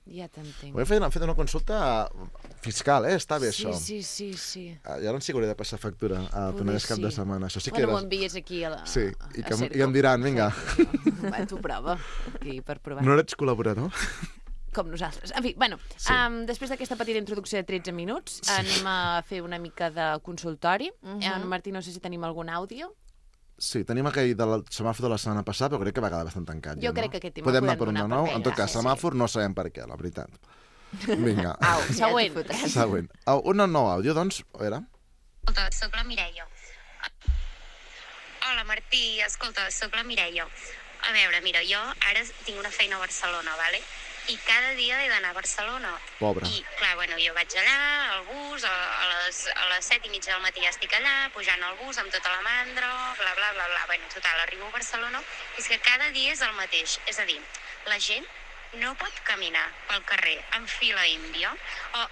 Ja t'entenc. Ho hem fet una consulta fiscal, Està bé, això. Sí. I ara ens hauré de passar factura a Poder Penedès cap de sí. setmana. Això sí que Bueno, m'ho envies aquí a la... Sí, i a que Cerco. i em diran, vinga, Va, tu prova, aquí, per provar. no ets col·laborador? Com nosaltres. En fi, bueno, després d'aquesta petita introducció de 13 minuts, anem a fer una mica de consultori. Martí, no sé si tenim algun àudio. Sí, tenim aquell del semàfor de la setmana passada, però crec que va quedar bastant tancat. Jo ja, crec no? que aquest tema Podem el anar per un podem de donar nou? per En tot ell, cas, sí. semàfor no sabem per què, la veritat. Vinga. Au, següent. Ja t'hi fotràs. Següent. Un nou àudio, doncs, a veure. Escolta, soc la Mireia. Hola, Martí. Escolta, soc la Mireia. A veure, mira, jo ara tinc una feina a Barcelona, vale? I cada dia he d'anar a Barcelona. Pobra. I, clar, bueno, jo vaig allà, al bus, a les 7:30 del matí ja estic allà, pujant al bus amb tota la mandra, bla, bla, bla, bla. Bueno, total, arribo a Barcelona, és que cada dia és el mateix. És a dir, la gent no pot caminar pel carrer en fila índia,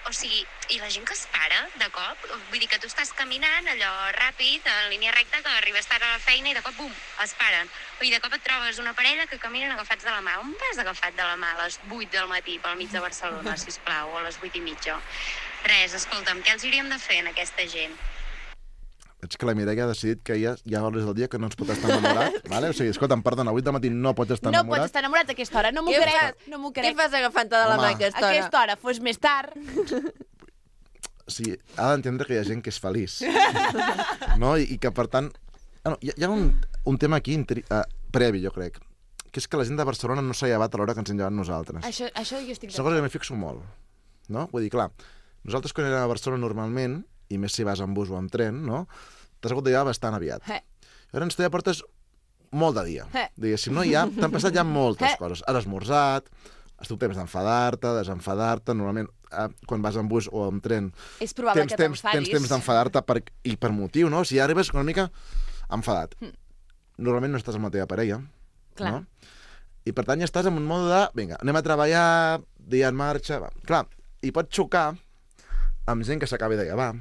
o sigui, i la gent que es para de cop, vull dir que tu estàs caminant allò ràpid, en línia recta, que arribes tard a la feina i de cop, bum, es paren. I de cop et trobes una parella que caminen agafats de la mà. On vas agafat de la mà a les 8 del matí pel mig de Barcelona, sisplau, o a les 8:30? Res, escolta'm, què els hauríem de fer en aquesta gent? Veig que la Mireia ha decidit que hi ha hores del dia que no ens pot estar enamorat. Vale? O sigui, escolta'm, perdona, 8 del matí no pots estar No enamorat. pots estar enamorat a aquesta hora, no m'ho Què crec, fas? no m'ho Què crec. fas agafant-te de la mà Home. a aquesta A hora? aquesta hora fos més tard. O sigui, ha d'entendre que hi ha gent que és feliç. No? I que, per tant... No, hi ha un tema aquí previ, jo crec, que és que la gent de Barcelona no s'ha llevat a l'hora que ens hem llevat nosaltres. Això jo estic És una cosa que m'hi fixo molt. No? Vull dir, clar, nosaltres quan anem a Barcelona normalment, i més si vas en bus o en tren, no? T'has hagut de llevar bastant aviat. Llavors tu ja portes molt de dia. Diguéssim, no? T'han passat ja moltes coses. Has esmorzat, has tingut temps d'enfadar-te, desenfadar-te. Normalment, quan vas en bus o en tren, És probable que tens t'enfadis. temps d'enfadar-te i per motiu, no? Si ja arribes una mica enfadat. Normalment no estàs amb la teva parella. Clar. No? I per tant ja estàs en un mode de, vinga, anem a treballar, dia en marxa... Va. Clar, i pots xocar amb gent que s'acabi de llevar,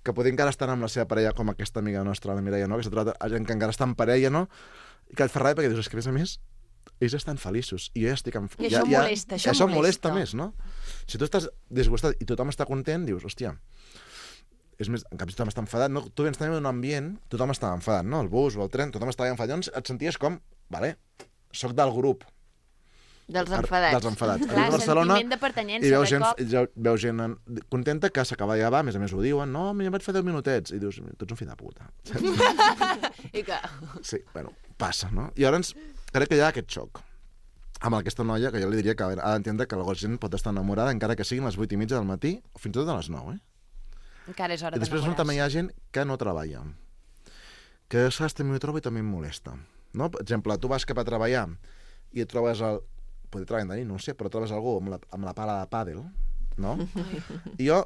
que poder encara estar amb la seva parella, com aquesta amiga nostra, la Mireia, no? Que s'ha trobat a gent que encara està en parella, no? I que et fa ràbia perquè dius, és que a més, ells estan feliços. I jo ja estic... I això molesta, això molesta més, no? Si tu estàs disgustat i tothom està content, dius, hòstia, és més, en canvi tothom està enfadat, no? Tu vens també en un ambient, tothom està enfadat, no? El bus o el tren, tothom està enfadat. Llavors et senties com, vale, soc del grup. Dels enfadats. Dels enfadats. Clar, A Barcelona, sentiment de pertanyença, i de veus gent contenta que s'acaba ja va, a més ho diuen, no, ja vaig fer 10 minutets. I dius, tu ets un fill de puta. I que... Sí, bueno, passa, no? I llavors crec que hi ha aquest xoc amb aquesta noia, que jo li diria que ha d'entendre que la gent pot estar enamorada encara que siguin les 8:30 del matí o fins i tot a les 9, Encara és hora I després d'enamorar-se. també hi ha gent que no treballa, que saps, també m'ho trobo i també em molesta. No? Per exemple, tu vas cap a treballar i et trobes Poder treballar de nit, no ho sé, però trobes algú amb la pala de pàdel, no? I jo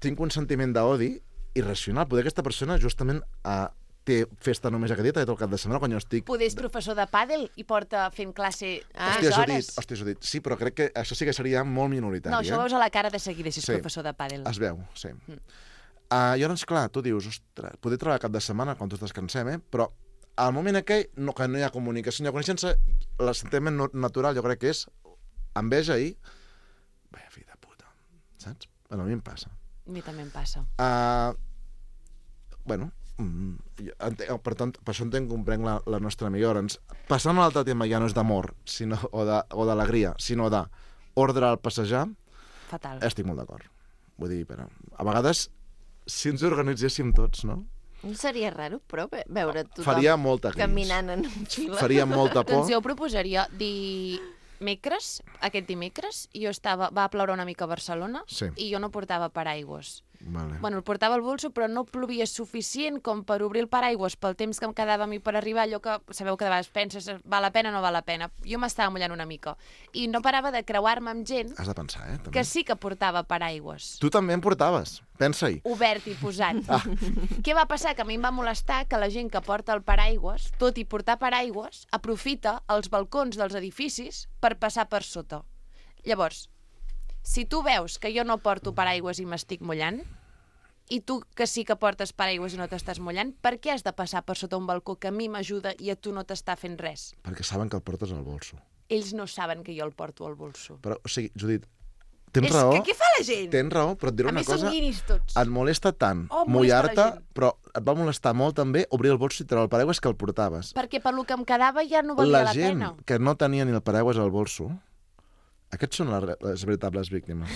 tinc un sentiment d'odi irracional. Poder aquesta persona justament té festa només aquest dia, tot el cap de setmana, quan jo estic... Poder és professor de pàdel i porta fent classe 3 Hòstia, hores. ho dit. Sí, però crec que això sí que seria molt minoritari. No, això ho veus a la cara de seguida, si és Sí. professor de pàdel. Es veu, sí. I llavors, clar, tu dius, ostres, poder treballar cap de setmana quan tots descansem, però al moment aquell que no hi ha comunicació, no hi ha coneixença, l'assentiment natural jo crec que és enveja i... Vaya fill de puta, saps? Bueno, a mi em passa. A mi també em passa. Bueno, per tant, per això comprenc la nostra amiga. Llavors, passant a l'altre tema ja no és d'amor o d'alegria, sinó d'ordre al passejar, Fatal. estic molt d'acord. Vull dir, però, a vegades, si ens organitzéssim tots, no? No seria raro, però, veure tothom Faria molta gris. caminant en fila. Faria molta por. Doncs jo proposaria aquest dimecres, va ploure una mica a Barcelona Sí. i jo no portava paraigües. Vale. Bueno, el portava al bolso, però no plovia suficient com per obrir el paraigües pel temps que em quedava a mi per arribar, allò que sabeu que de vegades penses, val la pena o no val la pena. Jo m'estava mullant una mica. I no parava de creuar-me amb gent Has de pensar, també. que sí que portava paraigües. Tu també en portaves, pensa-hi. Obert i posat. Què va passar? Que a mi em va molestar que la gent que porta el paraigües, tot i portar paraigües, aprofita els balcons dels edificis per passar per sota. Llavors, si tu veus que jo no porto paraigües i m'estic mullant, i tu que sí que portes paraigües i no t'estàs mullant, per què has de passar per sota un balcó que a mi m'ajuda i a tu no t'està fent res? Perquè saben que el portes al bolso. Ells no saben que jo el porto al bolso. Però, o sigui, Judit, tens És raó. que què fa la gent? Tens raó, però et diré A una més, són cosa. guiris tots. Et molesta tant Oh, molesta la mullar-te, gent. però et va molestar molt també obrir el bolso i treure el paraigües que el portaves. Perquè per lo que em quedava ja no valia la gent pena. que no tenia ni el paraigües al bolso, aquests són les veritables víctimes.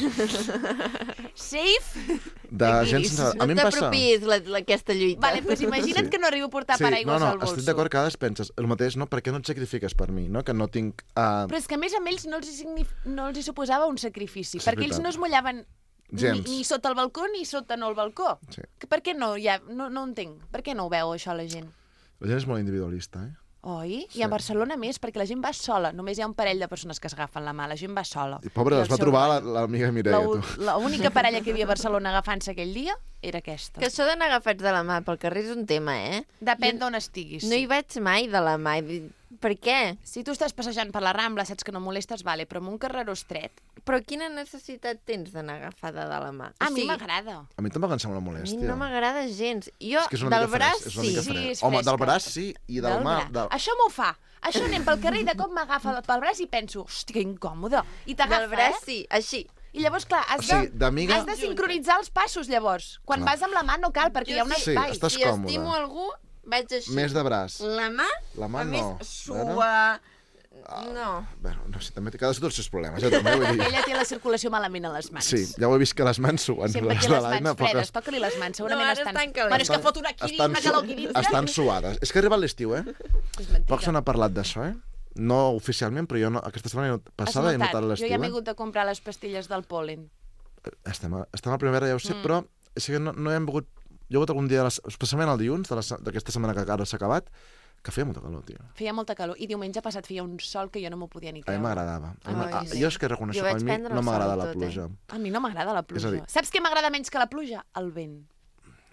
Safe? De gent sense... A mi No em passa... t'apropiïs aquesta lluita. Vale, doncs imagina't Sí. que no arribo a portar paraigües al bolso. estic d'acord que a vegades penses el mateix, no? Per què no et sacrifiques per mi, no? Que no tinc... Però és que a més amb ells no els hi suposava un sacrifici, És perquè ells veritat. no es mullaven Gens. ni sota el balcó ni sota no el balcó. Sí. Per què no? No entenc. Per què no ho veu, això, la gent? La gent és molt individualista, Oi? I a Barcelona més, perquè la gent va sola. Només hi ha un parell de persones que s'agafen la mà. La gent va sola. I pobra, I es el va seu trobar rotllo. l'amiga Mireia, tu. L'única parella que hi havia a Barcelona agafant-se aquell dia era aquesta. Que això d'anar agafats de la mà pel carrer és un tema, Depèn Jo d'on estiguis. No hi vaig mai de la mà. Per què? Si tu estàs passejant per la Rambla, saps que no molestes, vale, però en un carreró estret... Però quina necessitat tens d'anar agafada de la mà? A mi m'agrada. A mi tampoc em sembla A mi molèstia. no m'agrada gens. Jo, És que és una del mica braç, fresc, és una sí. mica Sí, fresc. és Home, del fresca. braç sí, i del mà... Això m'ho fa. Això anem pel carrer i de cop m'agafa pel braç i penso, hòstia, que incòmode. I t'agafa, Del braç, sí, així. I llavors, clar, has O sigui, d'amiga- has de sincronitzar els passos, llavors. Quan Clar. vas amb la mà no cal, perquè hi ha un sí, espai. estàs Si còmode. estimo algú, vaig així. Més de braç. La mà, La mà a més, no. sua... No. Bueno, no sé, també cadascú té els seus problemes, també vull dir. Ella té la circulació malament a les mans. Sí, ja ho he vist que les mans suen. Sempre té les mans fredes, toca-li les mans, segurament No, ara estan... estan calentes. Bueno, és que fot una quirina, que l'alquiritza. estan suades. És que ha arribat l'estiu, És mentida. Poc se n'ha parlat d'això, No oficialment, però jo no, aquesta setmana passada he notat Jo l'estiu, ja m'he hagut de comprar les pastilles del pol·len. Estem a primavera, ja ho sé, però és que no hem volgut... Jo he hagut algun dia, especialment el dilluns d'aquesta setmana que ara s'ha acabat, que feia molta calor, tio. Feia molta calor. I diumenge passat feia un sol que jo no m'ho podia ni A mi creure. m'agradava. Ai, sí. Jo és que reconeixo Jo que vaig a mi prendre no el m'agrada sol la tot, pluja. A mi no m'agrada la pluja. És a dir- Saps què m'agrada menys que la pluja? El vent.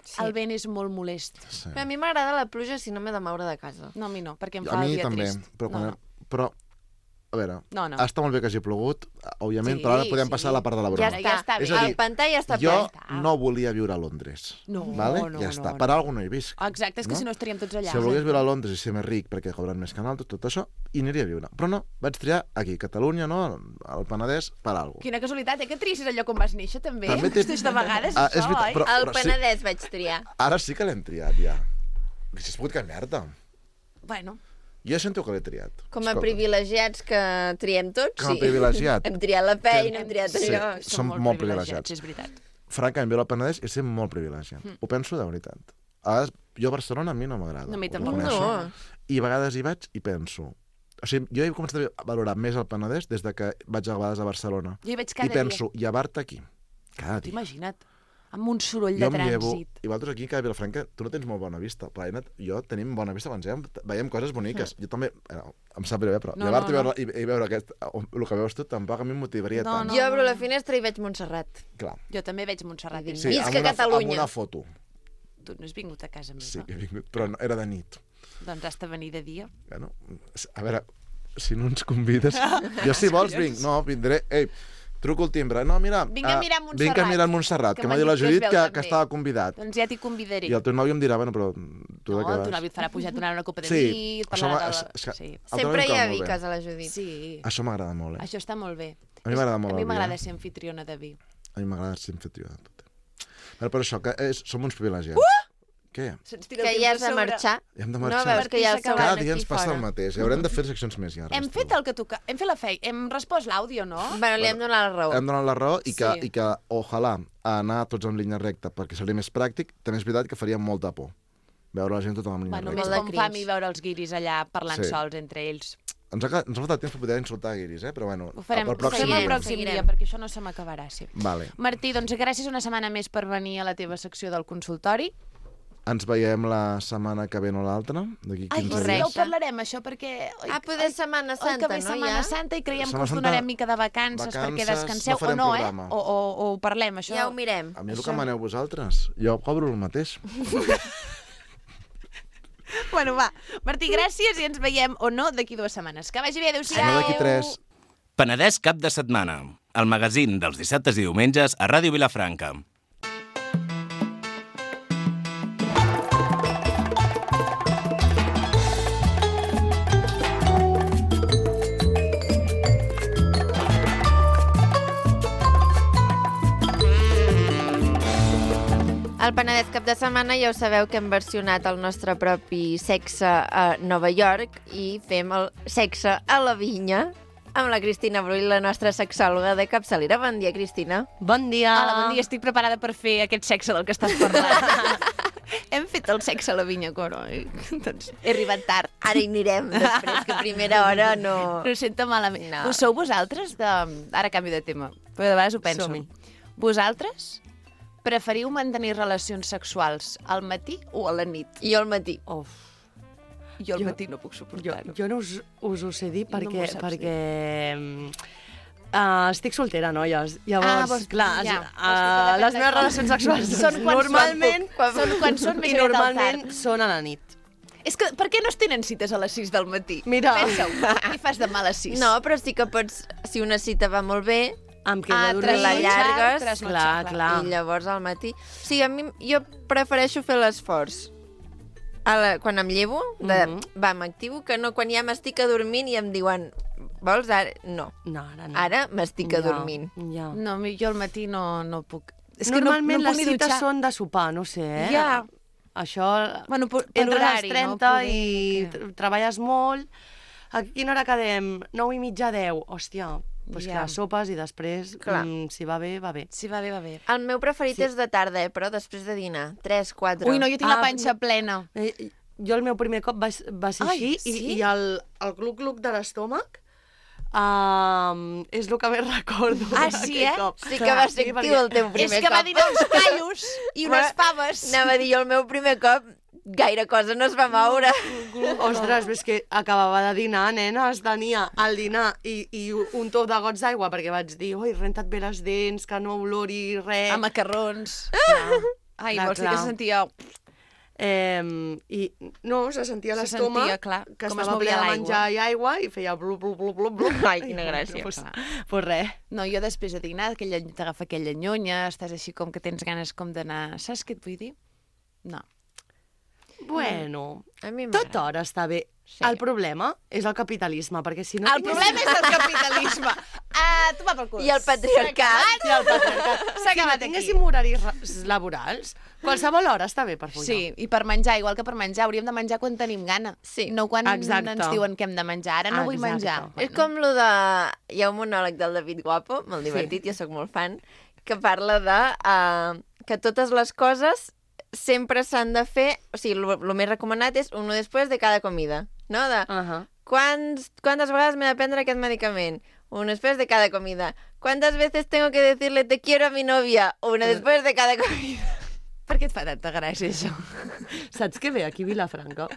Sí. El vent és molt molest. Sí. Però a mi m'agrada la pluja si no m'he de moure de casa. No, a mi no, perquè em A fa el mi dia també, trist. però, No, no. però a veure, No. està molt bé que hagi plogut, òbviament, Sí, però ara podem passar sí. a la part de la Ja broma. està. És a dir, El pantà ja està Jo ple. no volia viure a Londres. No, vale? no, Ja no, està. no. Per alguna no hi visc. Exacte, és que si no estaríem tots allà. Si volgués viure a Londres i ser més ric perquè cobren més que nosaltres, tot això, hi aniria a viure. Però no, vaig triar aquí, Catalunya, no? Al Penedès, per alguna cosa. Quina casualitat, que triïs el lloc on vas néixer, també. També té- Hosti, de vegades, Ah, és això, veritat, oi? però- El Penedès vaig triar. Ara sí que l'hem triat, ja. Si has pogut canviar-te. Bueno, Jo sento que l'he triat. Com a Escolta, privilegiats que triem tots, Com a sí. privilegiat. Hem triat la feina, hem triat Sí. allò. Som molt privilegiats. És veritat. Francament, viure al Penedès és ser molt privilegiat. Ho penso de veritat. A vegades, jo a Barcelona a mi no m'agrada. No, a mi ho tampoc. reconeixo. No. I a vegades hi vaig i penso... O sigui, jo he començat a valorar més el Penedès des de que vaig a vegades a Barcelona. Jo hi vaig I cada penso, llevar-te aquí, cada dia. Imagina't, amb un soroll Jo de em llevo... trànsit. I vosaltres aquí, a Vilafranca, tu no tens molt bona vista, però Aina, jo tenim bona vista, abans veiem coses boniques. Jo també, em sap greu, però No, llevar-te no, no. i veure el que veus tu tampoc a mi em motivaria No, tant. no. Jo obro la finestra i veig Montserrat. Clar. Jo també veig Montserrat. Sí. Sí, Visca amb una, Catalunya. amb una foto. Tu no has vingut a casa meva. Sí, que he vingut, però no, era de nit. Doncs has de venir de dia. Bueno, a veure, si no ens convides... Jo, si vols, vinc. No, vindré... Ei, truco el timbre. No, mira... Vinc a mirar Montserrat. Vinc a mirar Montserrat, que m'ha m'han dit la dit que es Judit veu que també. estava convidat. Doncs ja t'hi convidaré. I el teu nòvio em dirà, bueno, però tu No, de què el vas? teu nòvio et farà pujar, et donarà una copa de Sí, vi, et això parlarà m'ha- de... és que- Sí. El teu Sempre nòvio hi em ha cau molt viques Ah, a la Judit. Sí. Això m'agrada molt, Això està molt bé. A mi m'agrada molt A mi el vi, m'agrada eh? ser anfitriona de vi. A mi m'agrada ser anfitrió de tot. Però per això, que som uns privilegiats. Què? Que ja has de marxar. Hem de No, marxar. veus que ja els Cada acaben dia aquí ens passa el fora. mateix. I haurem de fer seccions més llargues. Hem fet el que toca... Hem fet la feina. Hem respost l'àudio, no? Bueno, li hem donat la raó. Hem donat la raó i que, Sí. i que ojalà, anar tots en línia recta perquè seria més pràctic, també és veritat que faria molta por veure la gent tota en línia Bueno, recta. més Molt de com fa a mi cringe. veure els guiris allà parlant Sí. sols entre ells. Ens ha faltat temps per poder insultar guiris, però bueno, Ho farem, per ho farem pròxim el dia. pròxim Seguirem. dia, perquè això no se m'acabarà, sí. Vale. Martí, doncs gràcies una setmana més per venir a la teva secció del consultori. Ens veiem la setmana que ve o l'altra, d'aquí 15 Ai, sí, dies. ja ho parlarem, això, perquè... Ah, poder Setmana Oi Santa, que ve no, Setmana ja? Santa i creiem que Setmana us Santa, donarem mica de vacances perquè vacances, descanseu, no farem o no, programa. O ho parlem, això. Ja ho mirem. A mi el que maneu vosaltres, jo cobro el mateix. Bueno, va. Martí, gràcies i ens veiem, o no, d'aquí 2 setmanes. Que vagi bé, adéu-siau. No d'aquí 3. Penedès cap de setmana. El magazín dels dissabtes i diumenges a Ràdio Vilafranca. Al Penedès cap de setmana ja ho sabeu que hem versionat el nostre propi Sexe a Nova York i fem el Sexe a la Vinya amb la Cristina Brull, la nostra sexòloga de capçalera. Bon dia, Cristina. Bon dia. Hola, bon dia, estic preparada per fer aquest sexe del que estàs parlant. Hem fet el sexe a la vinya, coroi. Doncs he arribat tard. Ara hi anirem després, que a primera hora no... No ho sento malament. No. Ho sou vosaltres de... Ara canvi de tema, però de vegades ho penso. Som-hi. Vosaltres preferiu mantenir relacions sexuals al matí o a la nit? Jo al matí. Uf. Jo al matí no puc suportar-ho. Jo no us ho sé dir No m'ho perquè... saps estic soltera, noies. Llavors, vols- clar, ja. les meves relacions sexuals Són quan normalment, quan són més i aviat al normalment tard. són a la nit. És que per què no es tenen cites a les 6 del matí? Mira. Pensa-ho. Què fas demà a les 6? No, però sí que pots, si una cita va molt bé, Em quedo a dormir. la llargues, Clar, clar. i llavors al matí... O sigui, a mi, jo prefereixo fer l'esforç. Quan em llevo, va, m'activo, que no quan ja m'estic adormint i em diuen, vols ara? No. No, ara no. Ara m'estic adormint. Ja. No, jo al matí no puc. És que Normalment no les puc ni cites dutxar. són de sopar, no sé, eh? Ja. Això... Bueno, per entres horari, als 30 no? i treballes molt. A quina hora quedem? 9 i mitja, 10. Hòstia, doncs Ja. clar, sopes i després, Clar. si va bé, va bé. Sí, va bé, va bé. El meu preferit és de tarda, però després de dinar. 3, 4... Ui, no, jo tinc la Ah, panxa plena. Jo el meu primer cop va ser Ai, així sí? i el gluc-gluc de l'estómac és el que més recordo. Ah, sí, d'aquell eh? cop. Sí que va ser actiu el teu primer És que cop. va dinar uns callos i unes faves. Anava a dir, jo el meu primer cop gaire cosa no es va moure. Ostres, és que acabava de dinar, nenes, tenia el dinar i un top de gots d'aigua, perquè vaig dir, oi, renta't bé les dents, que no olori res. A macarrons. Ai, Clar, vols dir clar. que sentia... I no, se sentia Se l'estómac sentia, clar, que com es estava ple movia de l'aigua. menjar i aigua i feia blu, blu, blu, blu, blu. Ai, quina gràcia. Pues res. No, jo després de dinar t'agafa aquella nyonya, estàs així com que tens ganes com d'anar... Saps què et vull dir? No. Bueno, A mi tot m'agrada. hora està bé. Sí. El problema és el capitalisme, perquè si no... El problema és el capitalisme. Tu va pel cul. I el patriarcat. I el patriarcat. S'ha Si no acabat aquí. tinguéssim horaris laborals, qualsevol hora està bé per follar. Sí, i per menjar, igual que per menjar, hauríem de menjar quan tenim gana. Sí. No quan Exacte. ens diuen que hem de menjar. Ara no vull Exacte. menjar. És com lo de... Hi ha un monòleg del David Guapo, molt divertit, jo sóc molt fan, que parla de que totes les coses sempre s'han de fer... O sigui, el més recomanat és uno després de cada comida, no? De quantes vegades m'he de prendre aquest medicament? Uno després de cada comida. ¿Cuántas veces tengo que decirle te quiero a mi novia? Una después de cada comida. Per què et fa tanta gràcia, això? Saps què ve aquí a Vilafranca?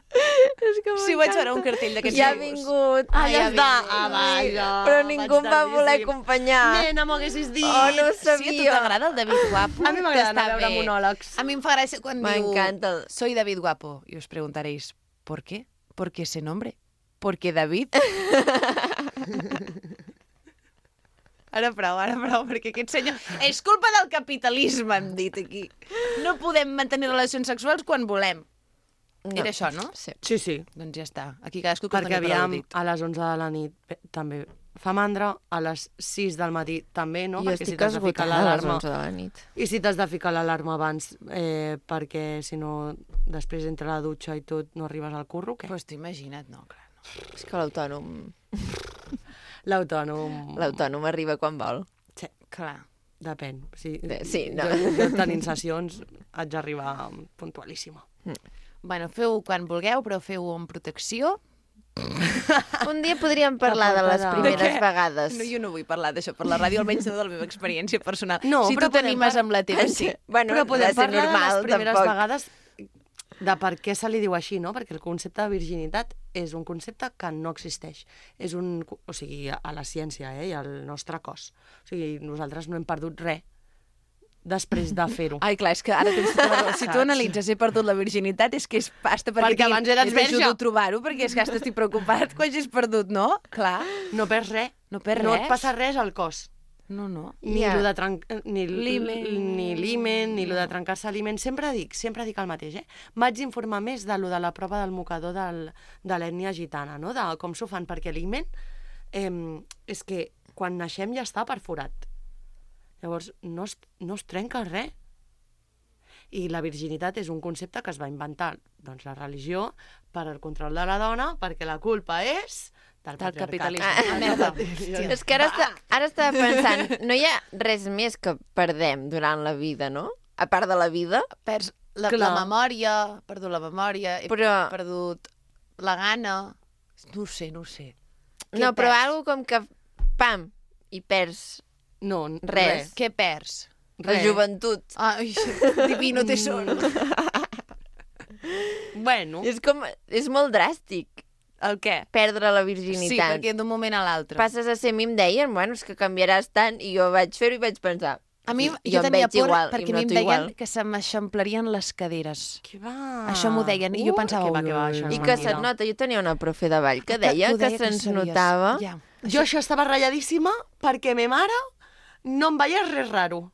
És que Sí, vaig veure un cartell d'aquests Ja ha tipus. vingut. Ah, ja ha està. vingut. Ah, vaja. Però ningú em va voler tardíssim. acompanyar. Nena, m'ho haguessis dit. Oh, no ho Sí, a tu sabia. t'agrada el David Guapo? A mi m'agrada anar a T'està veure bé. monòlegs. A mi em fa gràcia quan diu... M'encanta. Soy David Guapo. I us preguntaréis, ¿por qué? ¿Por qué ese nombre? ¿Porque David? Ara prou, perquè aquest senyor... És culpa del capitalisme, hem dit aquí. No podem mantenir relacions sexuals quan volem. No. Era això, no? Sí. Sí, sí. Doncs ja està. Aquí cadascú que Perquè doni per aviam, al·ludit. a les 11 de la nit també fa mandra, a les 6 del matí també, no? Jo Perquè estic si t'has de ficar esgotada a les l'alarma... 11 de la nit. I si t'has de ficar l'alarma abans, perquè si no, després entre la dutxa i tot no arribes al curro, què? Pues t'ho imagina't, no, clar. No. És que l'autònom... L'autònom... arriba quan vol. Sí, Clar. depèn. Sí, Sí, no. jo tenint sessions haig d'arribar puntualíssima. Bueno, feu quan vulgueu, però feu amb protecció. Un dia podríem parlar de les De primeres què? vegades. No, jo no vull parlar d'això per la ràdio, almenys no de la meva experiència personal. No, si però tu t'animes amb la teva, sí. Bueno, Però podem ha de ser parlar normal, de les primeres tampoc. vegades de per què se li diu així, no? Perquè el concepte de virginitat és un concepte que no existeix. És un... O sigui, a la ciència, i al nostre cos. O sigui, nosaltres no hem perdut res després de fer-ho. Ai, clar, és que ara tens tota la raó. Si tu Saps? analitzes he perdut la virginitat, és que és pasta Perquè abans eres verge. T'ajudo a trobar-ho, perquè és que ara estic preocupat quan hagis perdut, no? Clar. No perds res. No perds No res. et passa res al cos. No, no. Ni Ja. lo de ni L'himen. ni l'himen, ni lo de trencar-se l'himen. Sempre dic el mateix, M'haig d'informar més de lo de la prova del mocador de l'ètnia gitana, no? De com s'ho fan, perquè l'himen és que quan naixem ja està perforat. Llavors, no es trenca res. I la virginitat és un concepte que es va inventar, doncs, la religió per al control de la dona, perquè la culpa és del capitalisme. patriarcat. Merda. És que ara estava pensant, no hi ha res més que perdem durant la vida, no? A part de la vida. Perds la Clar. memòria, he perdut la memòria, he Però- perdut la gana... No ho sé. Què No, però perds? algo com que, pam, i perds No, Res. Què perds? la joventut. Ai, divino tesoro. Bueno, És molt dràstic, El què? perdre la Sí, virginitat. perquè d'un moment a l'altre. Passes a ser, a mi em deien, bueno, és que canviaràs tant, i jo vaig fer-ho i vaig pensar, A mi, jo jo em tenia veig por igual, i perquè em a mi em noto deien igual. que se m'eixamplarien les caderes. que va. Això m'ho deien, i jo pensava, que va, això és I que mentida. se't nota, jo tenia una profe de ball que deia que se'ns notava. Ja. Jo això estava ratlladíssima perquè me mare no em veia res raro.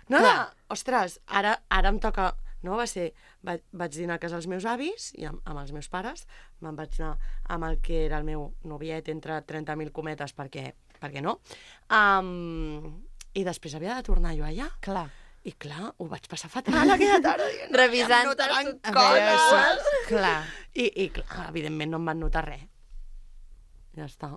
No, Clar. ostres, ara em toca... No, va ser... Vaig dinar a casa dels meus avis i amb els meus pares. Me'n vaig anar amb el que era el meu noviet entre 30.000 cometes perquè no. I després havia de tornar jo allà. Clar. I clar, ho vaig passar fatal aquella tarda. Dient, Revisant em notaran tot. coses. Clar. I clar, evidentment no em van notar res. Ja està.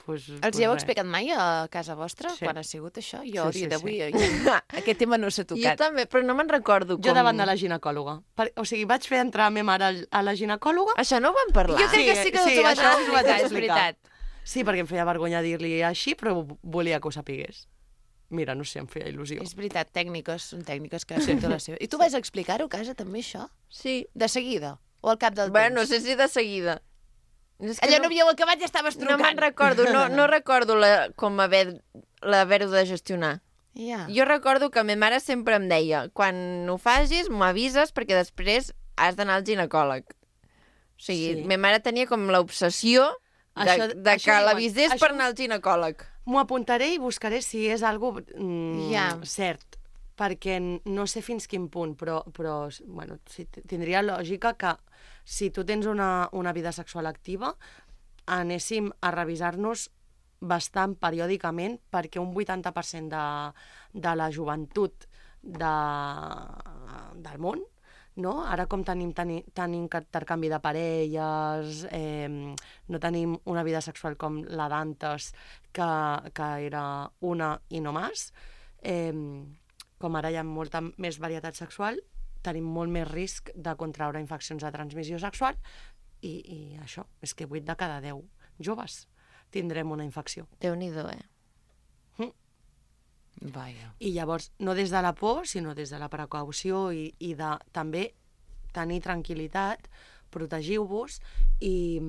Pues Els hi heu res. explicat mai a casa vostra, Sí. quan ha sigut això? Jo, a Sí, dia sí, d'avui, sí. aquest tema no s'ha Jo tocat. també, però no me'n recordo com... Jo davant de la ginecòloga. O sigui, vaig fer entrar a ma mare a la ginecòloga. Això no ho vam parlar. Jo crec que sí que Sí, t'ho vaig això us ho vaig explicar, és explicar. veritat. Sí, perquè em feia vergonya dir-li així, però volia que ho sapigués. Mira, no sé, em feia il·lusió. És veritat, són tècniques que sí. la seva. I tu vas explicar-ho a casa, també, això? Sí. De seguida? O al cap del Bueno, no temps? sé si de seguida. És que Allò no havíeu acabat i ja estaves no trucant. me'n recordo, no recordo com haver-ho de gestionar. Ja. Jo recordo que ma mare sempre em deia, quan ho facis, m'ho avises, perquè després has d'anar al ginecòleg. O sigui, Sí. ma mare tenia com l'obsessió Això de que diuen, l'avisés per això- anar al ginecòleg. M'ho apuntaré i buscaré si és algo Ja. cert, perquè no sé fins quin punt, però bueno, sí, tindria lògica que si tu tens una vida sexual activa, anéssim a revisar-nos bastant periòdicament, perquè un 80% de la joventut del món, no? Ara com tenim tant intercanvi de parelles, no tenim una vida sexual com la d'antes, que era una i no més, com ara hi ha molta més varietat sexual, tenim molt més risc de contraure infeccions de transmissió sexual i això, és que 8 de cada 10 joves tindrem una infecció. Déu-n'hi-do, Vaja. I llavors, no des de la por, sinó des de la precaució i de també tenir tranquil·litat, protegiu-vos i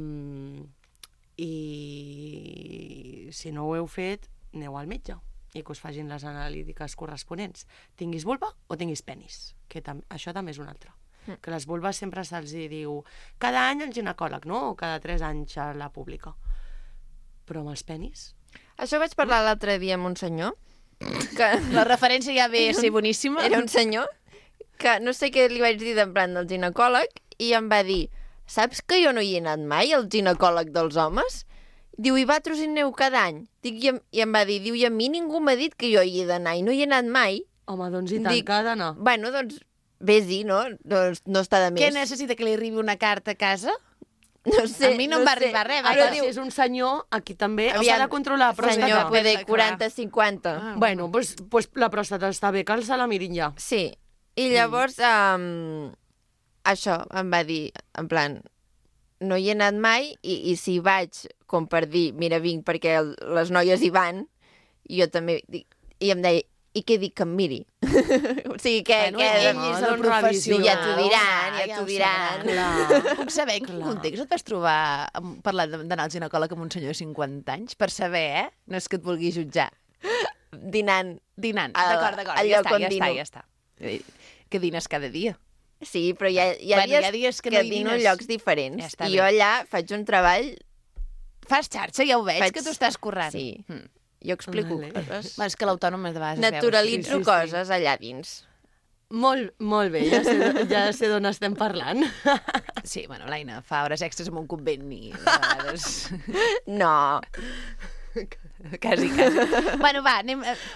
si no ho heu fet, aneu al metge i que us facin les analítiques corresponents. Tinguis vulva o tinguis penis, que això també és un altre. Que les vulves sempre se'ls diu cada any al ginecòleg, no? O cada 3 anys a la pública. Però amb els penis? Això vaig parlar l'altre dia amb un senyor que... La referència ja ve a ser boníssima. Era un senyor que no sé què li vaig dir d'en plan del ginecòleg i em va dir, saps que jo no hi he anat mai al ginecòleg dels homes? Diu, i vosaltres hi aneu cada any? Dic, i em va dir, diu, i a mi ningú m'ha dit que jo hi he d'anar i no hi he anat mai. Home, doncs i tant, que ha d'anar. Bueno, doncs vés-hi, no? Doncs no està de més. Què necessita, que li arribi una carta a casa? No sé, a mi no em va arribar res. Ara, si és un senyor, aquí també s'ha de controlar la pròstata. Senyor, poder 40-50. Bueno, doncs la pròstata està bé, que se la mirin ja. Sí, i llavors això em va dir, en plan, no hi he anat mai i si vaig, com per dir, mira, vinc perquè les noies hi van, i jo també dic, i em deia, i què dic que em miri? O sigui, que... Bueno, ell és el professional. Ja t'ho diran, ja t'ho diran. Puc saber en quin context et vas trobar parlant d'anar al ginecòleg amb un senyor de 50 anys? Per saber, No és que et vulgui jutjar. Dinant. D'acord, ja està. Que dines cada dia. Sí, però hi ha dies que dino en llocs diferents. I jo allà faig un treball... Fas xarxa, ja ho veig, que tu estàs currant. Sí. Jo explico coses. És que l'autònom de vegades naturalitzo coses allà dins. Molt bé, ja sé d'on estem parlant. Sí, bueno, l'Aina fa hores extres en un convent i de vegades... No. Quasi. Bueno, va,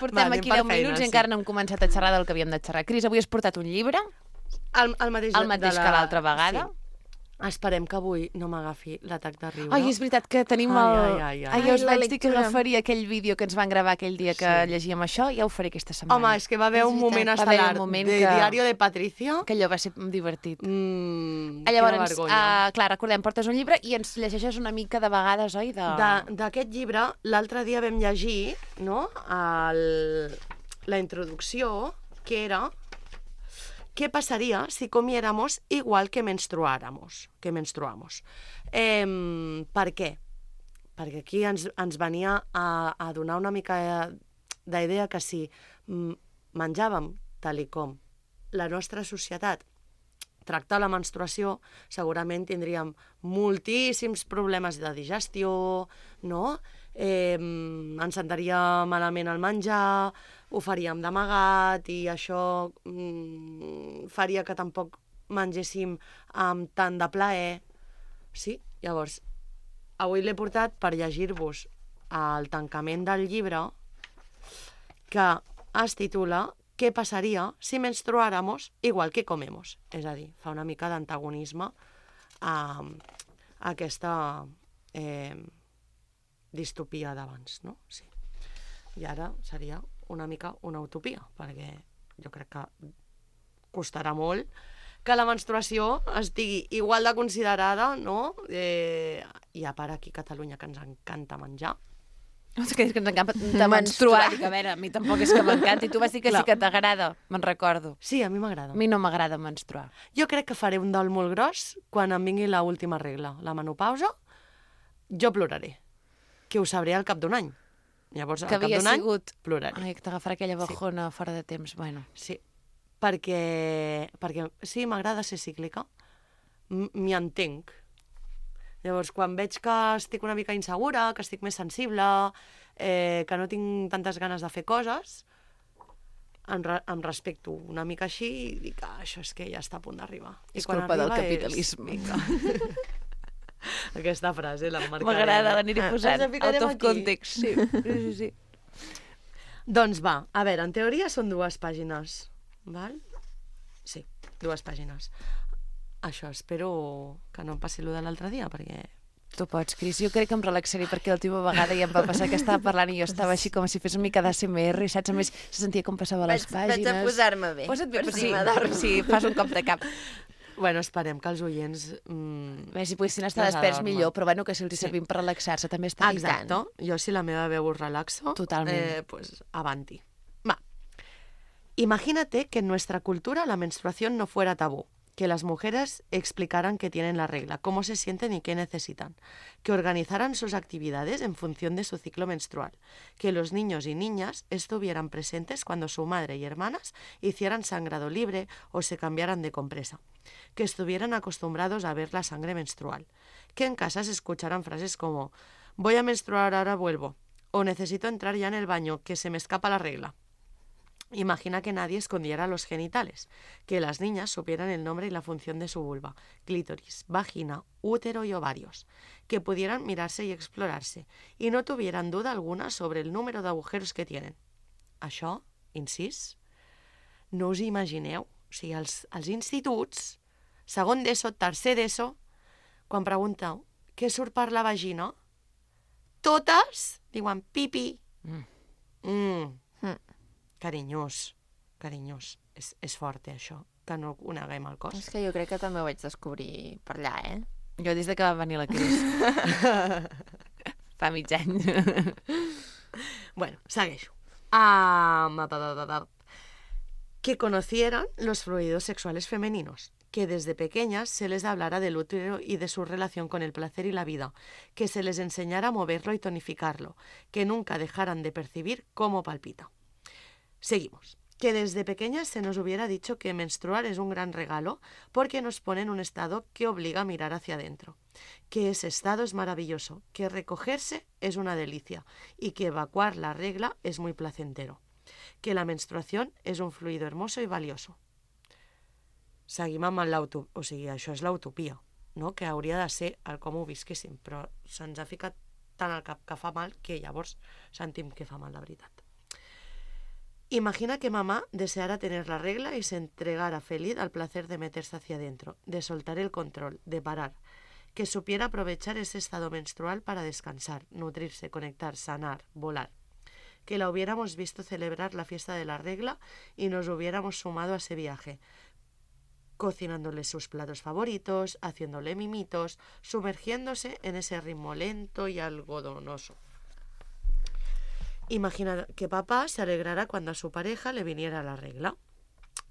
portem aquí 10 minuts i encara no hem començat a xerrar del que havíem de xerrar. Cris, avui has portat un llibre? El mateix que l'altra vegada? Sí. Esperem que avui no m'agafi l'atac de riure. Ai, és veritat que tenim el... Ai, jo us vaig dir que agafaria aquell vídeo que ens van gravar aquell dia que llegíem això, ja ho faré aquesta setmana. Home, és que va haver un moment estel·lar de Diario de Patricia. Que allò va ser divertit. Llavors, clar, recordem, portes un llibre i ens llegeixes una mica de vegades, oi? D'aquest llibre, l'altre dia vam llegir, no?, la introducció, que era... ¿Qué pasaría si comiéramos igual que menstruamos? Per què? Perquè aquí ens venia a donar una mica d'idea que si menjàvem tal com la nostra societat tracta la menstruació, segurament tindríem moltíssims problemes de digestió, no? Ens sentaria malament el menjar, ho faríem d'amagat i això faria que tampoc mengéssim amb tant de plaer. Sí, llavors, avui l'he portat per llegir-vos el tancament del llibre que es titula «Què passaria si menstruáramos igual que comemos?» És a dir, fa una mica d'antagonisme a aquesta distopia d'abans, no? Sí. I ara seria una mica una utopia, perquè jo crec que costarà molt que la menstruació estigui igual de considerada, no? I a part aquí a Catalunya, que ens encanta menjar. És que ens encanta menstruar. A veure, a mi tampoc és que m'encanta. I tu vas dir que sí que t'agrada, me'n recordo. Sí, a mi m'agrada. A mi no m'agrada menstruar. Jo crec que faré un dol molt gros quan em vingui l'última regla, la menopausa. Jo ploraré, que ho sabré al cap d'un any. Llavors, al cap d'un any, ploraré. Ai, que t'agafarà aquella bajona fora de temps. Bueno. Sí, perquè sí, m'agrada ser cíclica, m'hi entenc. Llavors, quan veig que estic una mica insegura, que estic més sensible, que no tinc tantes ganes de fer coses, em respecto una mica així i dic que això és que ja està a punt d'arribar. És culpa del capitalisme. Aquesta frase l'emmarcaré. M'agrada, l'aniré posant. Out of context. Sí. Doncs va, a veure, en teoria són 2 pàgines, val? Sí, 2 pàgines. Això, espero que no em passi allò de l'altre dia, perquè... Tu pots, Cris. Jo crec que em relaxaré perquè l'última vegada ja em va passar que estava parlant i jo estava així com si fes una mica d'ASMR, saps? A més, se sentia com passava les pàgines. Vaig a posar-me bé. Posa't bé, sí, fas un cop de cap. Bueno, esperem que els oients... Bé, si poguessin estar desperts millor, però bueno, que si els servim per relaxar-se també està bé. Exacte. Jo, si la meva veu us relaxo, pues avanti. Va. Imagínate que en nuestra cultura la menstruación no fuera tabú, que las mujeres explicaran que tienen la regla, cómo se sienten y qué necesitan, que organizaran sus actividades en función de su ciclo menstrual, que los niños y niñas estuvieran presentes cuando su madre y hermanas hicieran sangrado libre o se cambiaran de compresa, que estuvieran acostumbrados a ver la sangre menstrual, que en casa se escucharan frases como «voy a menstruar, ahora vuelvo» o «necesito entrar ya en el baño, que se me escapa la regla». Imagina que nadie escondiera los genitales, que las niñas supieran el nombre y la función de su vulva, clítoris, vagina, útero y ovarios, que pudieran mirarse y explorarse, y no tuvieran duda alguna sobre el número de agujeros que tienen. Això, incís, no us imagineu, o sigui, als instituts, segon d'ESO, tercer d'ESO, quan pregunteu què surt per la vagina, totes diuen pipi. Carinyós. És fort, això, que no ho neguem al cos. És que jo crec que també ho vaig descobrir per allà, Jo des de que va venir la Cris. Fa mig any. Bueno, segueixo. Que conocieran los fluidos sexuales femeninos, que desde pequeñas se les hablara del útero y de su relación con el placer y la vida, que se les enseñara a moverlo y tonificarlo, que nunca dejaran de percibir cómo palpita. Seguimos. Que desde pequeñas se nos hubiera dicho que menstruar es un gran regalo porque nos pone en un estado que obliga a mirar hacia adentro, que ese estado es maravilloso, que recogerse es una delicia y que evacuar la regla es muy placentero, que la menstruación es un fluido hermoso y valioso. Seguim amb l'utopia, o sigui, això és l'utopia, no? Que hauria de ser el com ho visquéssim, però se'ns ha ficat tant al cap que fa mal que llavors sentim que fa mal la veritat. Imagina que mamá deseara tener la regla y se entregara feliz al placer de meterse hacia adentro, de soltar el control, de parar, que supiera aprovechar ese estado menstrual para descansar, nutrirse, conectar, sanar, volar, que la hubiéramos visto celebrar la fiesta de la regla y nos hubiéramos sumado a ese viaje, cocinándole sus platos favoritos, haciéndole mimitos, sumergiéndose en ese ritmo lento y algodonoso. Imagina que papá se alegrara cuando a su pareja le viniera la regla,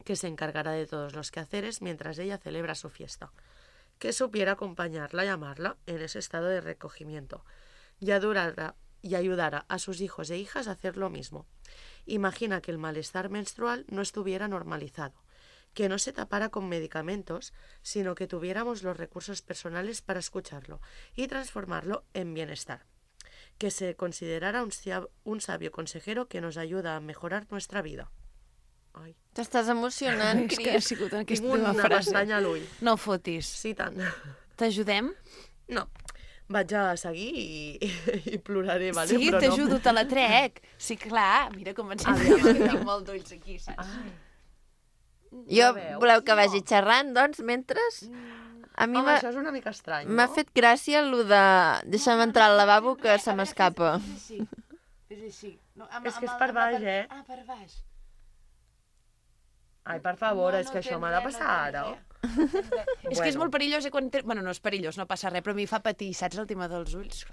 que se encargara de todos los quehaceres mientras ella celebra su fiesta, que supiera acompañarla y amarla en ese estado de recogimiento y ayudara a sus hijos e hijas a hacer lo mismo. Imagina que el malestar menstrual no estuviera normalizado, que no se tapara con medicamentos, sino que tuviéramos los recursos personales para escucharlo y transformarlo en bienestar. Que se considerara un sabio consejero que nos ayuda a mejorar nuestra vida. Ai. T'estàs emocionant, Cris. És que ha sigut aquesta Tinc una frase. pestanya a l'ull. No fotis. Sí, tant. T'ajudem? No. Vaig a seguir i ploraré, vale? Sí, però t'ajudo, te la trec. Sí, clar, mira com ensenyem, que tinc molt d'ulls aquí, saps? Jo, voleu que vagi xerrant, doncs, mentre... A mi això és una mica estrany, no? M'ha fet gràcia el de deixa'm entrar al lavabo que se m'escapa. És així. És que és per baix, eh? Ah, per baix. Ai, per favor, és que això m'ha de passar ara. És que és molt perillós, quan... Bueno, no és perillós, no passa res, però a mi fa patir, saps, el tema dels ulls?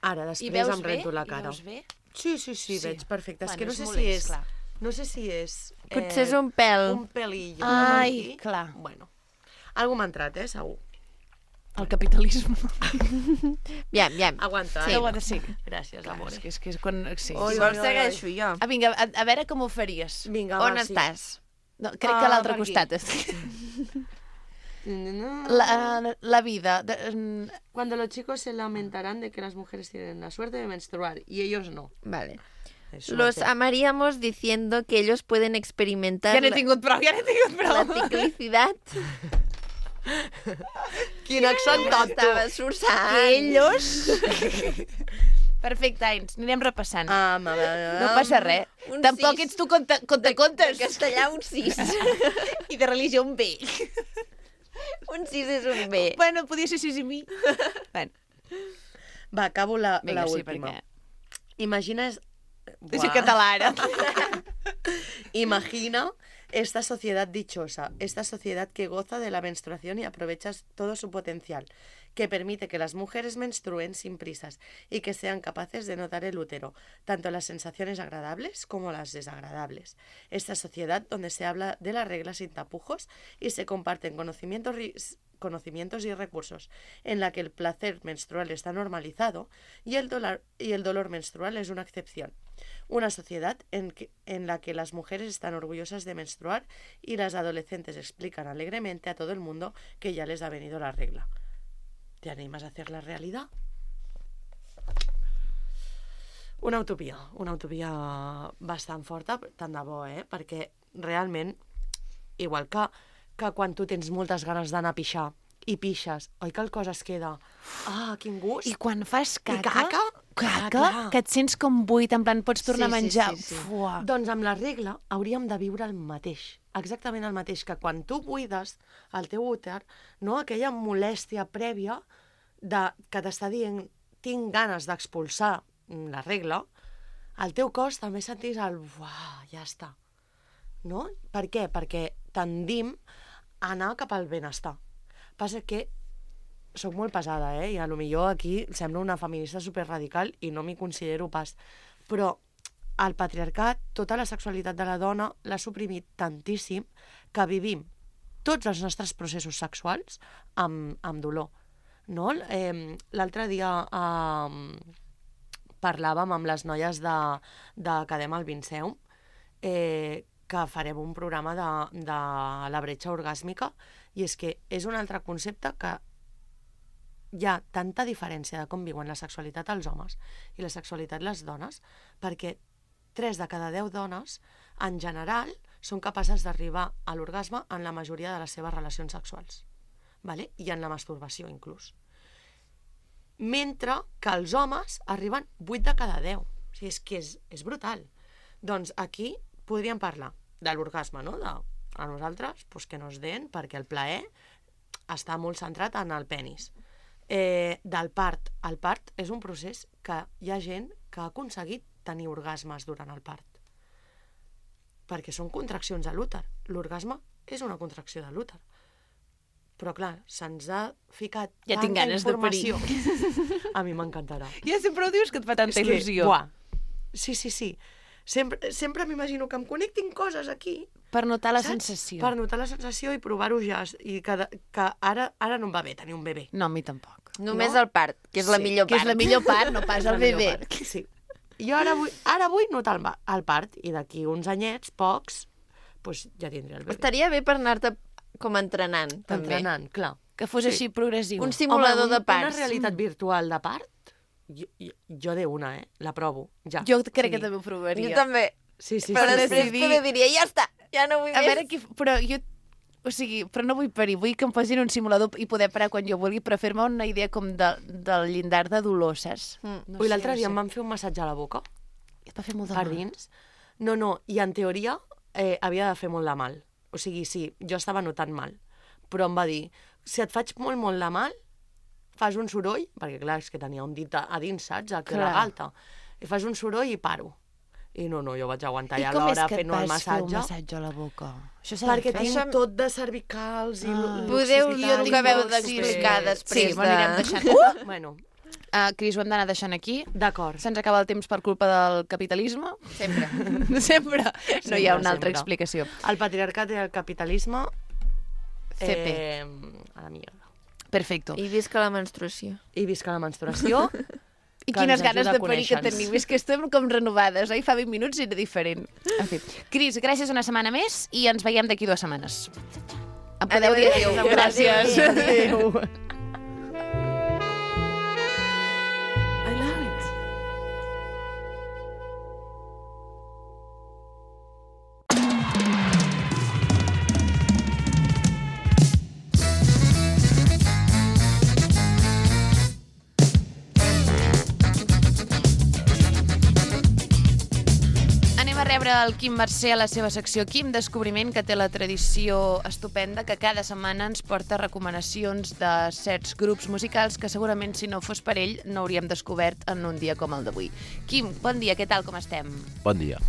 Ara, després em rento la cara. I veus bé? Sí, veig perfecte. És que no sé si és... No sé si és... Potser és un pèl. Un pelillo. Ai, clar. Bueno. Algú m'ha entrat, segur. El capitalisme. Bien. Aguanta. Sí. Gràcies, amor. És que és quan... Sí. Si vols segueixo jo. Ah, vinga, a veure com ho faries. Vinga, on estàs? No, crec que a l'altre costat estic. La vida. Cuando los chicos se lamentarán de que las mujeres tienen la suerte de menstruar y ellos no. Vale. Es Los suerte. amaríamos diciendo que ellos pueden experimentar Ja n'he tingut prou. la ciclicidad. Quin accent tonto. Estava esforçant. Que ellos... Perfecte, Ains, anirem repassant. No passa res. Un Tampoc 6. ets tu contacontes. De castellà, un 6. I de religió, un B. Un 6 és un B. Bueno, podia ser 6 i mi. Bueno. Va, acabo la Vinga, sí, última. perquè... Imagina... Soy català, ara. Imagina esta sociedad dichosa, esta sociedad que goza de la menstruación y aprovecha todo su potencial, que permite que las mujeres menstruen sin prisas y que sean capaces de notar el útero, tanto las sensaciones agradables como las desagradables. Esta sociedad donde se habla de la regla sin tapujos y se comparten conocimientos y recursos, en la que el placer menstrual está normalizado y el dolor menstrual es una excepción. Una sociedad en la que las mujeres están orgullosas de menstruar y las adolescentes explican alegremente a todo el mundo que ya les ha venido la regla. ¿Te animas a hacer la realidad? Una utopia bastant forta, tant de bo, perquè realment, igual que quan tu tens moltes ganes d'anar a pixar i pixes, oi que el cos es queda... Ah, quin gust! I quan fas caca... I caca? Caca, que et sents com buit, en plan, pots tornar a menjar. Sí. Fuà. Doncs amb la regla hauríem de viure el mateix, exactament el mateix, que quan tu buides el teu úter, no, aquella molèstia prèvia que t'està dient tinc ganes d'expulsar la regla, el teu cos també sentís el... Uah, ja està. No? Per què? Perquè tendim a anar cap al benestar. Passa que soc molt pesada, i a lo millor aquí sembla una feminista superradical i no m'hi considero pas. Però el patriarcat, tota la sexualitat de la dona, l'ha suprimit tantíssim que vivim tots els nostres processos sexuals amb dolor. No? L'altre dia parlàvem amb les noies de Cadem al Vinceum que farem un programa de la bretxa orgàsmica i és que és un altre concepte que hi ha tanta diferència de com viuen la sexualitat els homes i la sexualitat les dones, perquè 3 de cada 10 dones, en general, són capaces d'arribar a l'orgasme en la majoria de les seves relacions sexuals. Vale? I en la masturbació, inclús. Mentre que els homes arriben 8 de cada 10. O sigui, és que és brutal. Doncs aquí podríem parlar de l'orgasme, no? A nosaltres, pues, que nos den, perquè el plaer està molt centrat en el penis. Del part. El part és un procés que hi ha gent que ha aconseguit tenir orgasmes durant el part. Perquè són contraccions a l'úter. L'orgasme és una contracció de l'úter. Però, clar, se'ns ha ficat tanta informació. A mi m'encantarà. Ja sempre ho dius que et fa tanta il·lusió. Buah. Sí. Sempre m'imagino que em connectin coses aquí. Per notar la saps? sensació. Per notar la sensació i provar-ho ja. I que ara no em va bé tenir un bebè. No, a mi tampoc. Només el part, que és la millor part. Que és la millor part, no pas el bebè. Sí. Jo ara vull notar el part i d'aquí uns anyets, pocs, doncs ja tindré el bebè. Estaria bé per anar-te com entrenant, també. Entrenant, clar. Que fos així progressiu. Un simulador de parts. Una realitat virtual de part, jo de una, la provo, ja. Jo crec que també ho provaria. Jo també. Sí. Però després poder diria, ja està, ja no vull més. A veure, però jo... O sigui, però no vull parir, vull que em posin un simulador i poder parar quan jo vulgui, però fer-me una idea com del llindar de dolor, saps? Ui, l'altre dia em van fer un massatge a la boca. I et va fer molt de per mal. dins. No, i en teoria havia de fer molt de mal. O sigui, sí, jo estava notant mal. Però em va dir, si et faig molt, molt de mal, fas un soroll, perquè clar, és que tenia un dit a dins, saps? Aquí a la galta. I fas un soroll i paro. I no, jo vaig aguantar ja l'hora fent el massatge. I com és que et vas fer un massatge a la boca? Perquè tinc tot de cervicals i... Podeu, jo que acabeu d'explicar després Sí, m'anirem deixant. Bueno, Cris, ho hem d'anar deixant aquí. d'acord. Se'ns acaba el temps per culpa del capitalisme. Sempre. Sempre. No hi ha una altra sempre. explicació. El patriarcat i el capitalisme... CP. A la mierda. Perfecto. I visca la menstruació. I visca la menstruació. I que quines ens ganes ajuda de a parir que conèixer-nos. tenim. És que estem com renovades, oi? Fa 20 minuts era diferent. En fi. Cris, gràcies una setmana més i ens veiem d'aquí 2 setmanes. Em podeu dir adéu. Gràcies. Adéu. Anem a rebre el Quim Mercè a la seva secció Quim Descobriment, que té la tradició estupenda que cada setmana ens porta recomanacions de certs grups musicals que segurament si no fos per ell no hauríem descobert en un dia com el d'avui. Quim, bon dia, què tal, com estem? Bon dia.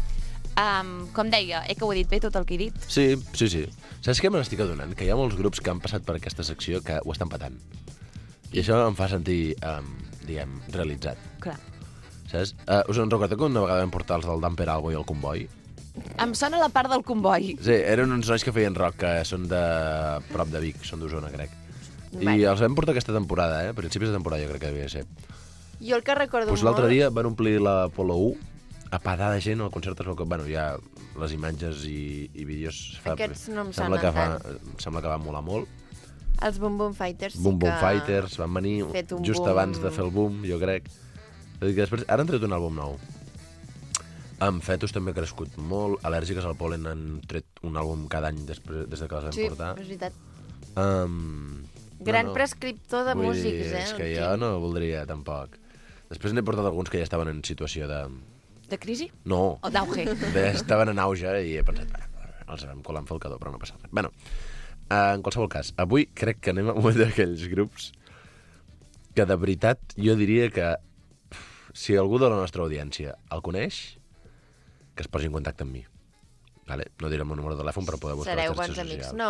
Com deia, que ho he dit bé tot el que he dit? Sí. Saps què me n'estic adonant? Que hi ha molts grups que han passat per aquesta secció que ho estan patant. I això em fa sentir, diguem, realitzat. Clar. Saps? Us en recordeu que una vegada vam portar els del Damper Albo i el Comboi? Em sona la part del comboi. Sí, eren uns nois que feien rock, que són de prop de Vic, són d'Osona, crec. Vale. I els vam portar aquesta temporada, a principis de temporada jo crec que devia ser. Jo el que recordo Doncs l'altre dia van omplir l'Apolo 1, a pedar de gent, el concert es veu que, bueno, hi ha les imatges i vídeos. Aquests no em sembla sonen sembla que va molar molt. Els Boom Boom Fighters Boom Boom Fighters van venir just abans de fer el boom, jo crec. Que després, ara han tret un àlbum nou. Amb Fetus també ha crescut molt. Al·lèrgiques al pol·len han tret un àlbum cada any des de que les vam portar. Sí, és veritat. Gran prescriptor de músics, És que jo no voldria, tampoc. Després n'he portat alguns que ja estaven en situació de... De crisi? No. O d'auge? Estaven en auge i he pensat, els vam colar amb falcador, però no passa res. Bueno, en qualsevol cas, avui crec que anem a un d'aquells grups que de veritat jo diria que si algú de la nostra audiència el coneix, que es posi en contacte amb mi. Vale? No diré el meu número de telèfon per poder buscar les xarxes socials. Sereu bons amics. No,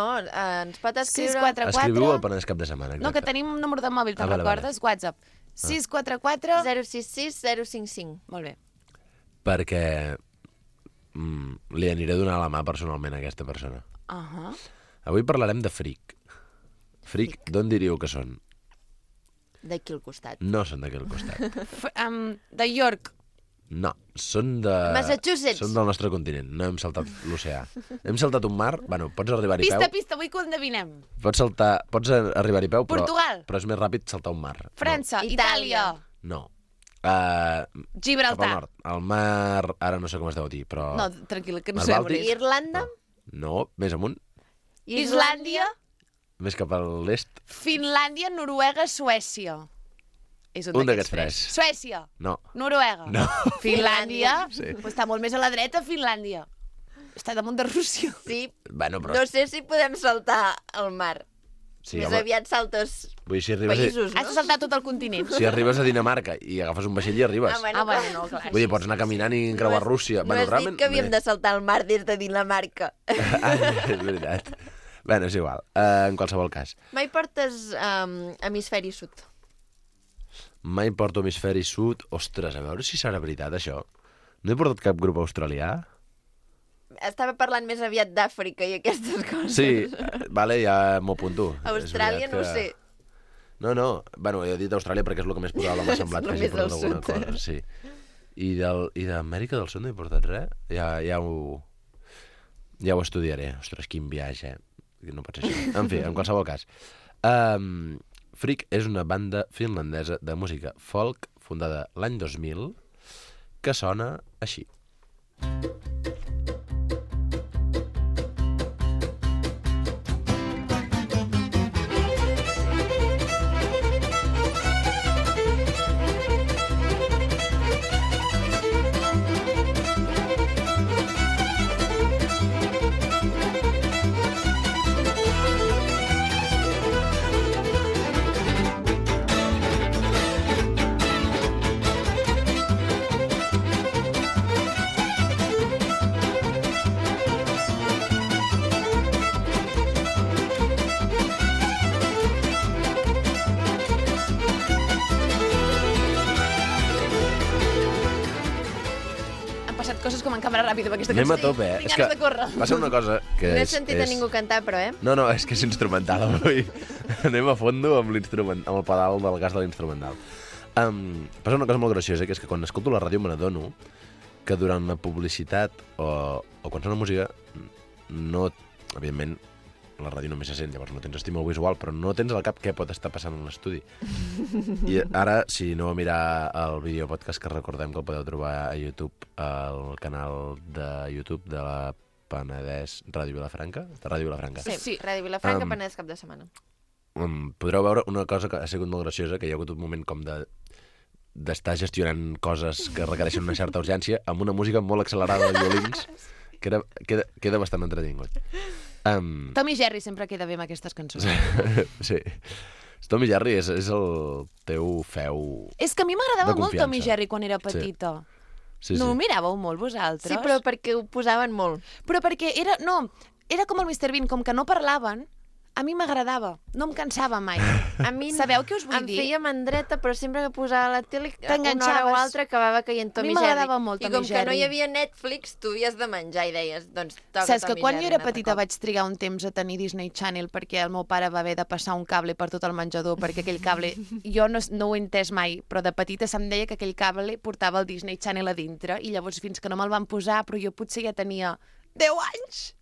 ens pot escriure... 644... Escriviu al Penedès Cap de Setmana. No, que tenim un número de mòbil, te'n recordes? WhatsApp. 644... 066 055. Molt bé. Perquè li aniré a donar la mà personalment a aquesta persona. Avui parlarem de Freak. Freak, d'on diríeu que són? D'aquí al costat. No són d'aquí al costat. De York. No, són de... Massachusetts. Són del nostre continent, no hem saltat l'oceà. Hem saltat un mar, bueno, pots arribar-hi peu... Pista, vull que ho endevinem. Pots arribar-hi peu, Portugal. Però és més ràpid saltar un mar. França, Itàlia. No. Gibraltar. Cap al nord. El mar, ara no sé com es deu dir, però... No, tranquil·la, que no sé. Irlanda? No, més amunt. Islàndia. Més cap a l'est. Finlàndia, Noruega, Suècia. És un d'aquests tres. Suècia. No. Noruega. No. Finlàndia. Sí. Pues està molt més a la dreta, Finlàndia. Està damunt de Rússia. Sí. Bueno, però... No sé si podem saltar el mar. Sí, més aviat saltes països, no? Has de saltar tot el continent. Si arribes a Dinamarca i agafes un vaixell i arribes. Bueno, no, clar. Vull dir, pots anar caminant i creuar Rússia. No has dit que havíem de saltar el mar des de Dinamarca. És veritat. Bueno, és igual. En qualsevol cas. Mai portes hemisferi sud? Mai porto hemisferi sud. Ostres, a veure si serà veritat, això. No he portat cap grup australià? Estava parlant més aviat d'Àfrica i aquestes coses. Sí, vale, ja m'ho apunto. Austràlia no ho sé. No, bueno, he dit Austràlia perquè és el que més probable m'ha semblat que hagi portat alguna cosa. Sí. I d'Amèrica del Sud no he portat res? Ja ho estudiaré. Ostres, quin viatge, No pot ser així. En fi, en qualsevol cas. Freak és una banda finlandesa de música folk fundada l'any 2000 que sona així. Coses com en càmera ràpida amb aquesta cançó. Anem a tope, És que passa una cosa que no he sentit a ningú cantar, però, No, és que és instrumental avui. Anem a fondo amb el pedal del gas de l'instrumental. Passa una cosa molt graciosa, que és que quan escolto la ràdio me n'adono que durant la publicitat o quan sona música, no, evidentment, la ràdio només se sent, llavors no tens estímul visual, però no tens al cap què pot estar passant en l'estudi. I ara, si no mirar el videopodcast, que recordem que el podeu trobar a YouTube, al canal de YouTube de la Penedès Ràdio Vilafranca? De Ràdio Vilafranca. Sí, Ràdio Vilafranca, Penedès cap de setmana. Podreu veure una cosa que ha sigut molt graciosa, que hi ha hagut un moment com d'estar gestionant coses que requereixen una certa urgència amb una música molt accelerada de violins que queda bastant entretingut. Tom i Jerry sempre queda bé amb aquestes cançons. Sí. Tom i Jerry és el teu feu. És que a mi m'agradava molt Tom i Jerry quan era petita. Sí, no ho miràveu molt vosaltres? Sí, però perquè ho posaven molt. Però perquè era com el Mr. Bean, com que no parlaven, a mi m'agradava, no em cansava mai. A mi sabeu què us vull dir? Em feia mandreta, però sempre que posava la tele, una hora o altra acabava caient Tom i Jerry. A mi m'agradava molt Tom i Jerry. I com que no hi havia Netflix, tu havies de menjar i deies, doncs toca Saps Tom i que quan Jerry jo era petita vaig trigar un temps a tenir Disney Channel perquè el meu pare va haver de passar un cable per tot el menjador, perquè aquell cable, jo no ho he entès mai, però de petita se'm deia que aquell cable portava el Disney Channel a dintre, i llavors fins que no me'l van posar, però jo potser ja tenia 10 anys,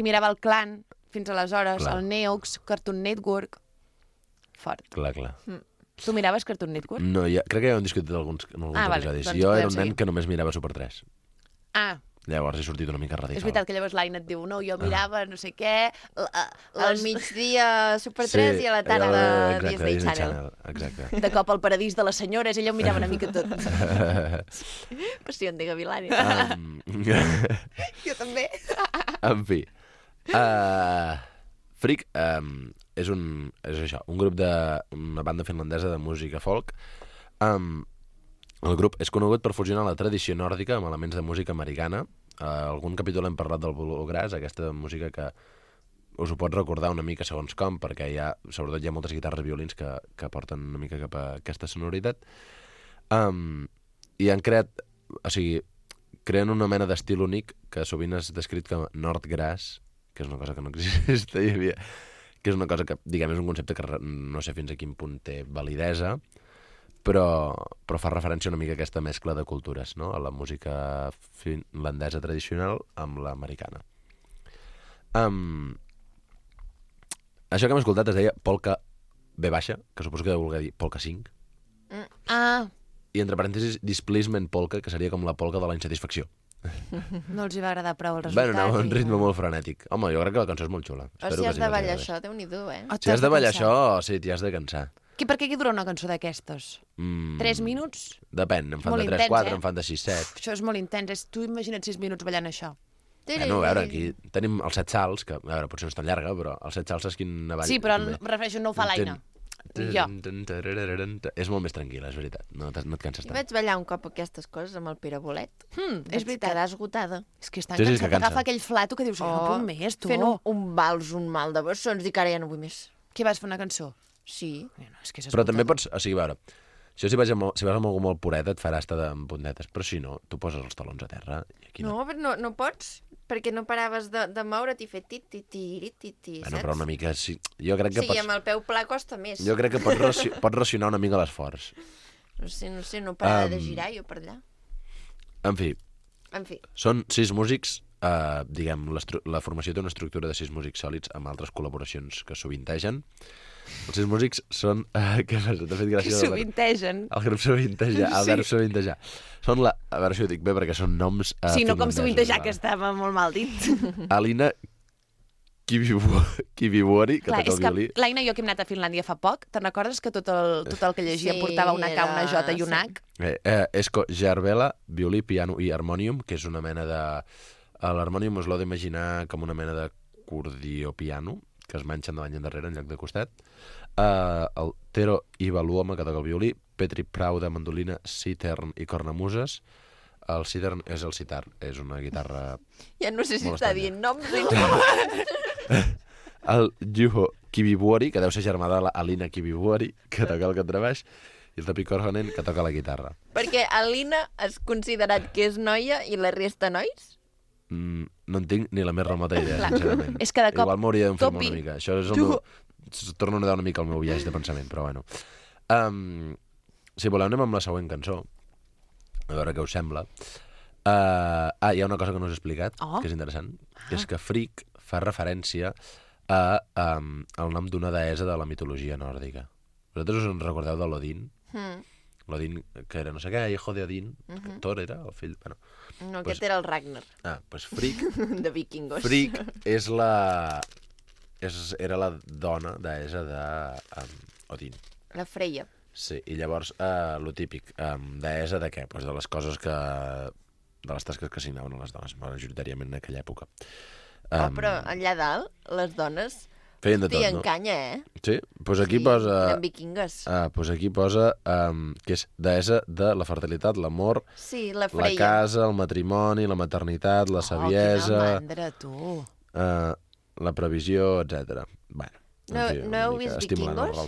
i mirava el Clan, fins aleshores, el Neox, Cartoon Network... Fort. Clar. Tu miraves Cartoon Network? No, crec que ja ho hem discutit en alguns episodis. Doncs jo era un nen que només mirava Super 3. Ah. Llavors he sortit una mica radical. És veritat que llavors l'Aina et diu, no, jo mirava no sé què... Al migdia Super 3 i a la tarda Disney Channel. Exacte. De cop al paradís de les senyores, ella ho mirava una mica tot. Passió de Gavilani. Jo també. En fi. Freak és això, un grup una banda finlandesa de música folk. El grup és conegut per fusionar la tradició nòrdica amb elements de música americana. Algun capítol hem parlat del bluegrass, aquesta música que us ho pot recordar una mica segons com, perquè sobretot hi ha moltes guitarres i violins que porten una mica cap a aquesta sonoritat. I han creen una mena d'estil únic que sovint és descrit com Nordgrass, que és una cosa que no existia, que és una cosa que, diguem, és un concepte que no sé fins a quin punt té validesa, però fa referència una mica a aquesta mescla de cultures, no? A la música finlandesa tradicional amb l'americana. Això que hem escoltat es deia Polka B baixa, que suposo que deu voler dir Polka 5. I entre parèntesis Displacement Polka, que seria com la polka de la insatisfacció. No els hi va agradar prou el resultat. Anava a un ritme molt frenètic. Home, jo crec que la cançó és molt xula. O si has de ballar això, Déu-n'hi-do, Si has de ballar això, sí, t'hi has de cansar. Per què dura una cançó d'aquestes? 3 minuts? Depèn, en fan de 3-4, en fan de 6-7. Això és molt intens, tu imagina't 6 minuts ballant això. Bueno, a veure, aquí tenim els 7 salts, que a veure, potser no és tan llarga, però els 7 salts és quina balla. Sí, però refereixo, no ho fa l'Aina. Jo. És molt més tranquil·la, és veritat. No et canses tant. Vaig ballar un cop aquestes coses amb el Pere Bolet. És veritat. Quedar esgotada. És que és tan cansat, agafa aquell flato que dius, no puc més, tu. Fent un vals, un mal de bessons, i que ara ja no vull més. Què vas fer una cançó? Sí. Però també pots, a veure, si vas amb algú molt puret et farà estar amb puntetes, però si no, tu poses els talons a terra i aquí no. No, però no pots, perquè no paraves de moure't i fer tit-tit-tit-tit, saps? Bueno, però una mica, sí, jo crec que pots... Sí, amb el peu pla costa més. Jo crec que pots racionar una mica l'esforç. No sé, no parava de girar jo per allà. En fi. Són 6 músics, diguem, la formació té una estructura de 6 músics sòlids amb altres col·laboracions que sovintegen. Els 6 músics són... Què fas? T'ha fet gràcia? Que sovintegen. El grup sovintejar, el verb sovintejar. Són a veure si ho dic bé, perquè són noms sí, no com sovintejar, que estava molt mal dit. Alina Kivivuori, que toca el violí. L'Aina i jo que hem anat a Finlàndia fa poc, te'n recordes que tot el que llegia portava una K, una J i un H? Esko Jarvela, violí, piano i harmònium, que és una mena de... L'harmònium us l'heu d'imaginar com una mena d'acordió piano, que es manxen davant i endarrere en lloc de costat. El Tero Ivaluoma, que toca el violí, Petri Prauda, mandolina, citern i cornamuses. El citern és el sitar, és una guitarra... Ja no sé si està dient noms. El Juho Kivivuori, que deu ser germà de l'Alina Kivivuori, que toca el contrabaix, i el Topi Korhonen, que toca la guitarra. Perquè Alina és considerat que és noia i la resta nois? No en tinc ni la més remota idea, sincerament. És que de cop... Igual m'hauria d'informar una mica. Això és el meu... Torno a nedar una mica el meu viatge de pensament, però bueno. Si voleu, anem amb la següent cançó. A veure què us sembla. Hi ha una cosa que no us he explicat, que és interessant, que és que Freak fa referència el nom d'una deessa de la mitologia nòrdica. Vosaltres us en recordeu de l'Odin? L'Odin, que era no sé què, hijo de Odin, Thor era el fill... Bueno, no, aquest era el Ragnar. Doncs Frigg. De vikingos. Frigg era la dona deessa d'Odin. La Freya. Sí, i llavors, lo típic, deessa de què? Pues de les coses que... de les tasques que assignaven a les dones, majoritàriament en aquella època. Però allà dalt, les dones feien de tot, no? Tien canya, Sí, doncs aquí posa... eren vikingues. Doncs aquí posa que és deessa de la fertilitat, l'amor, Sí, la Freya. la casa, el matrimoni, la maternitat, la saviesa... Quina mandra, tu! La previsió, etc. Bueno, no heu vist Vikingos?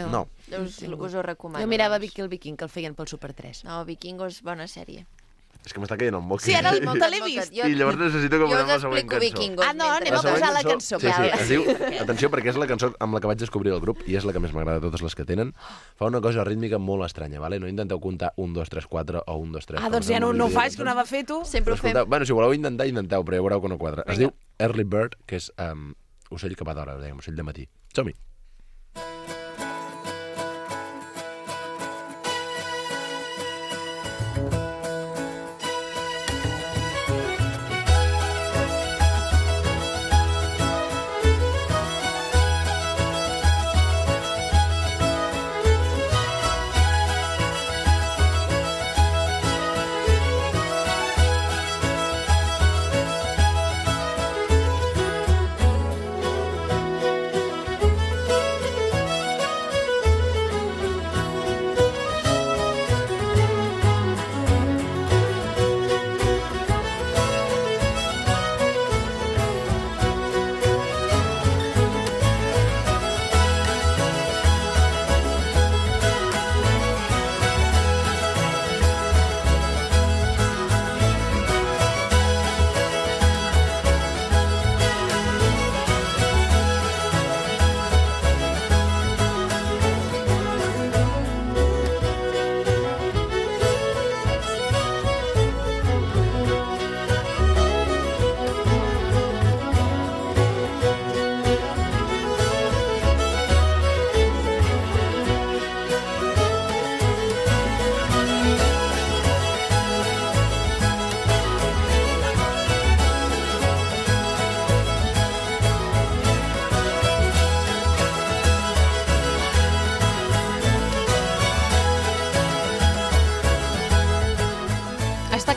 No. Us ho recomano. Jo mirava Vicky el Viking, que el feien pel Super 3. No, Vikingos, bona sèrie. És que m'està caient el moc. Sí, ara te l'he vist. I llavors necessito que posem la següent cançó. Vikingos. No, anem a posar la cançó. Sí, es diu... Atenció, perquè és la cançó amb la que vaig descobrir el grup i és la que més m'agrada de totes les que tenen. Fa una cosa rítmica molt estranya, vale? No intenteu comptar 1, 2, 3, 4 o 1, 2, 3. Doncs ja no ho faig, que ho anava a fer tu. Sempre ho fem. Bueno, si voleu intentar, intenteu, però ja veureu que no quadra. Es diu Early Bird, que és ocell que va d'hora, dèiem, ocell de matí. Som-hi.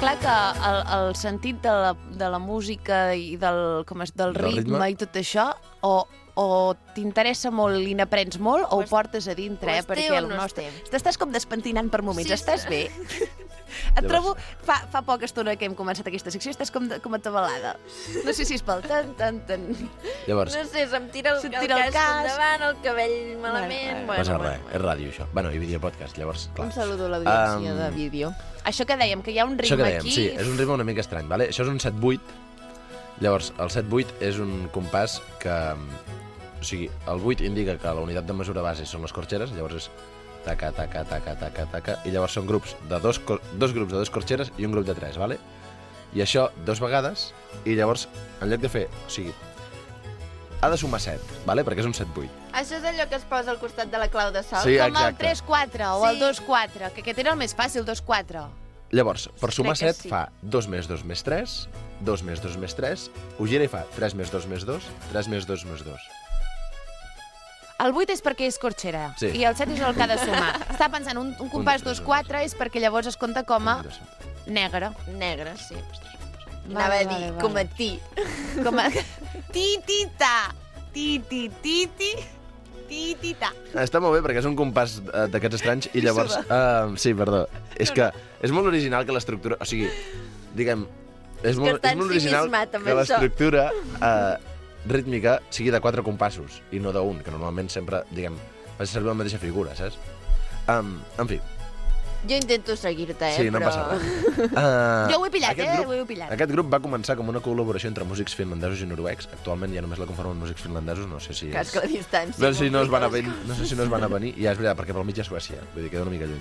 clar que el sentit de la música i del ritme i tot això, o t'interessa molt i n'aprens molt, o ho portes a dintre, perquè el nostre... T'estàs com despentinant per moments, estàs bé? Et trobo, fa poca estona que hem començat aquesta secció, estàs com atabalada. No sé si és pel tan... Llavors... No sé, se'm tira el cas endavant, el cabell malament... No passa res, és ràdio, això. Bueno, i videopodcast, llavors, clar. Un saludo a l'audiència de vídeo. Això que dèiem, que hi ha un ritme aquí... Sí, és un ritme una mica estrany, vale? Això és un 7-8. Llavors, el 7-8 és un compàs que... O sigui, el 8 indica que la unitat de mesura base són les corxeres, llavors és taca, taca, taca, taca, taca, i llavors són grups de dos grups de 2 corxeres i un grup de 3, vale? I això 2 vegades, i llavors, en lloc de fer... O sigui, ha de sumar 7, vale? Perquè és un 7-8. Això és allò que es posa al costat de la clau de sol? Sí, com el 3-4 o el 2-4, que aquest era el més fàcil, 2-4. Llavors, per sumar 7 fa 2 més 2 més 3, 2 més 2 més 3, ho gira i fa 3 més 2 més 2, 3 més 2 més 2. El 8 és perquè és corxera, sí. I el 7 és el que ha de sumar. Està pensant, un compàs 2-4 és perquè llavors es compta com a negre. Negre, sí. Anava a dir, com a ti. Com a... Ti-ti-ta, ti-ti-ti-ti, ti-ti-ta. Està molt bé perquè és un compàs d'aquests estranys i llavors... sí, perdó. És que és molt original que l'estructura... O sigui, diguem... És molt original que l'estructura... rítmica sigui de 4 compassos i no d'un, que normalment sempre, diguem, fa servir la mateixa figura, saps? En fi. Jo intento seguir-te, sí, no però... passa res. Jo ho he pillat, ho he pillat. Aquest grup va començar com una col·laboració entre músics finlandesos i noruecs. Actualment ja només la conformen músics finlandesos, no sé si... Cas que la distància... No sé si no es van a venir, ja és veritat, perquè pel mig hi ha Suècia, vull dir, queda una mica lluny.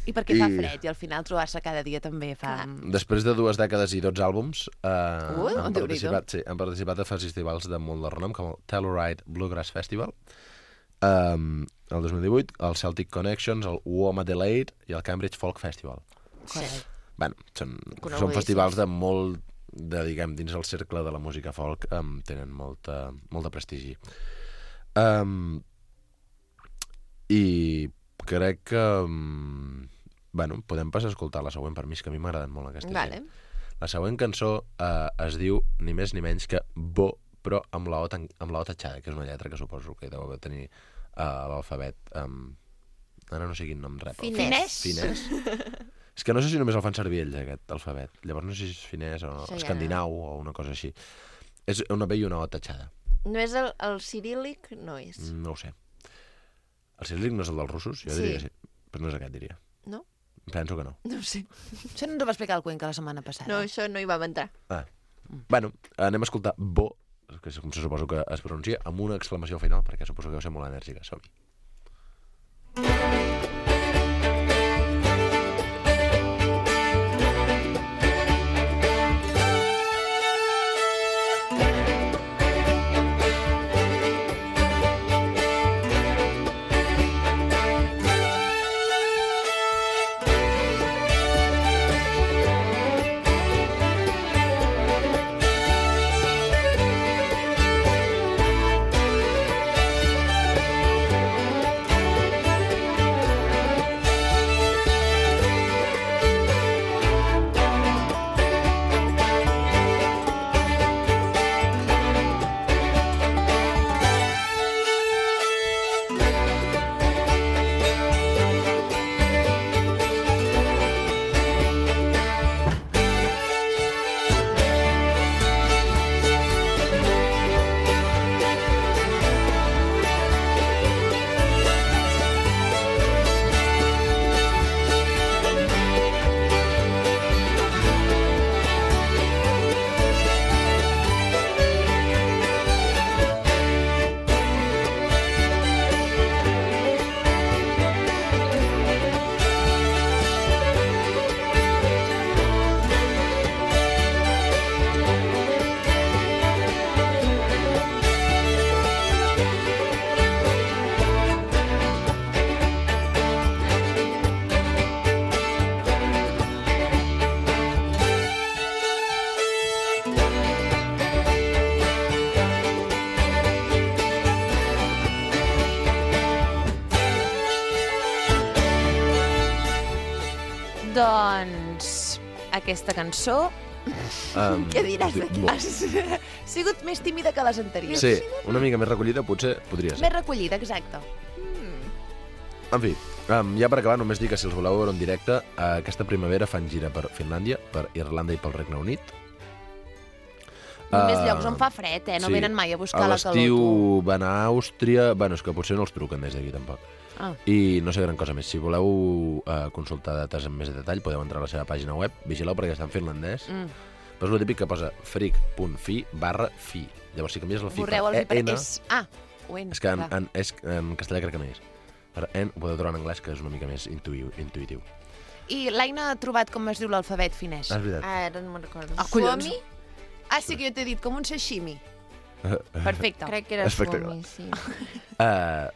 I perquè fa fred, i al final trobar-se cada dia també fa... Després de 2 dècades i 12 àlbums, han Déu-n'hi-do. participat a festivals de molt de renom, com el Telluride Bluegrass Festival, el 2018, el Celtic Connections, el WOMA Adelaide i el Cambridge Folk Festival. Bueno, són festivals de molt, diguem, dins el cercle de la música folk, tenen molt de prestigi. I crec que... Bueno, podem passar a escoltar la següent, per mi és que a mi m'agraden molt aquestes. Vale. La següent cançó es diu ni més ni menys que Bo, però amb la O tatxada, que és una lletra que suposo que deu tenir l'alfabet. Ara no sé quin nom rep. Finès. És que no sé si només el fan servir ells, aquest alfabet. Llavors no sé si és finès o escandinau o una cosa així. És una B i una O tatxada. No és el ciríl·lic? No és. No ho sé. El ciríl·lic no és el dels russos? Jo diria que sí. Però no és aquest, diria. No? Penso que no. No ho sé. Això no ens ho va explicar el Cuenca la setmana passada. No, això no hi vam entrar. Bueno, anem a escoltar Bo, que com se suposo que es pronuncia, amb una exclamació final, perquè suposo que deu ser molt enèrgica. Som-hi. Doncs aquesta cançó... Què diràs d'aquí? Ha sigut més tímida que les anteriors. Sí, una mica més recollida potser podria ser. Més recollida, exacte. En fi, ja per acabar només dir que si els voleu veure en directe, aquesta primavera fan gira per Finlàndia, per Irlanda i pel Regne Unit. Només llocs on fa fred, No venen mai a buscar la calor. A l'estiu van a Àustria... Bueno, és que potser no els truquen des d'aquí, tampoc. I no sé gran cosa més. Si voleu consultar dates amb més detall, podeu entrar a la seva pàgina web. Vigileu perquè està en finlandès. Però és el típic que posa freak.fi/fi. Llavors, si canvies el fi per EN... És que en castellà crec que no és. Per EN ho podeu trobar en anglès, que és una mica més intuïtiu. I l'Aina ha trobat com es diu l'alfabet finès. És veritat. Ara no me'n recordo. Collons. Sí que jo t'he dit, com un sashimi. Perfecte. Crec que era Suomi, sí.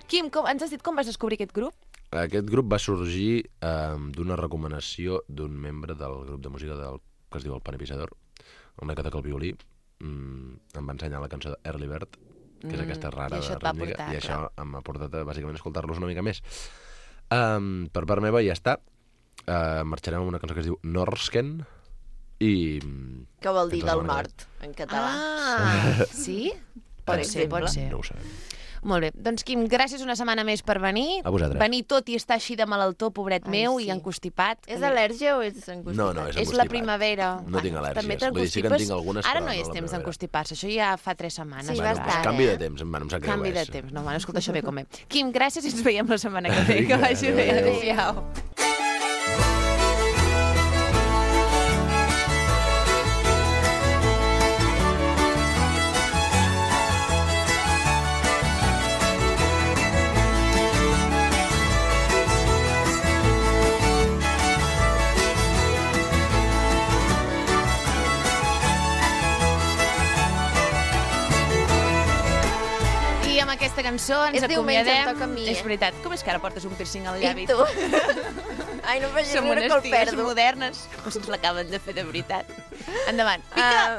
Quim, ens has dit com vas descobrir aquest grup? Aquest grup va sorgir d'una recomanació d'un membre del grup de música que es diu El Panipisador, una que toca el violí. Em va ensenyar la cançó de Early Bird, que és aquesta rara de rítmica, i això m'ha portat a bàsicament escoltar-los una mica més. Per part meva ja està. Marxarem amb una cançó que es diu Norsken, i... Què vol dir del nord, en català? Sí? Pot ser. No ho sabem. Molt bé. Doncs, Quim, gràcies una setmana més per venir. A vosaltres. Venir tot i estar així de malaltó, pobret meu, i encostipat. És al·lèrgia o és encostipat? No, és encostipat. És la primavera. No tinc al·lèrgies. Vull dir, sí que en tinc algunes, ara no és temps d'encostipar-se. Això ja fa 3 setmanes. Sí, bastant. Canvi de temps, em sap greu. Canvi de temps. No, escolta, això ve com ve. Quim, gràcies i ens veiem la setmana que ve. Que vagi bé. Adéu. aquesta cançó ens És diumenge, em acomiadem. toca a mi, És veritat. Com és que ara portes un piercing al llavi? I tu? Ai, no facis Som riure unes que el ties perdo. modernes. Pues ens l'acaben de fer de veritat. Endavant.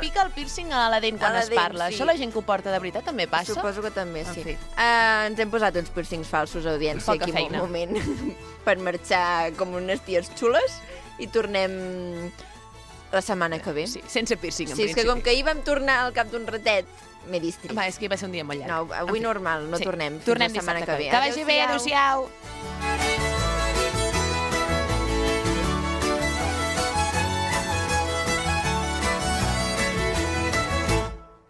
Pica el piercing a la dent quan a la es dent, parla. sí. Això la gent que ho porta de veritat també passa? Suposo que també, sí. En fi. Ens hem posat uns piercings falsos, audiència, Poca aquí feina. un moment, per marxar com unes ties xules i tornem la setmana que ve. Sí, sense piercing, en Sí, és que principi. com que ahir vam tornar al cap d'un ratet, m'he distret. Va, és que va ser un dia molt llarg. No, avui normal, no tornem. Tornem fins la setmana dissabte que ve. Que vagi bé, adéu-siau.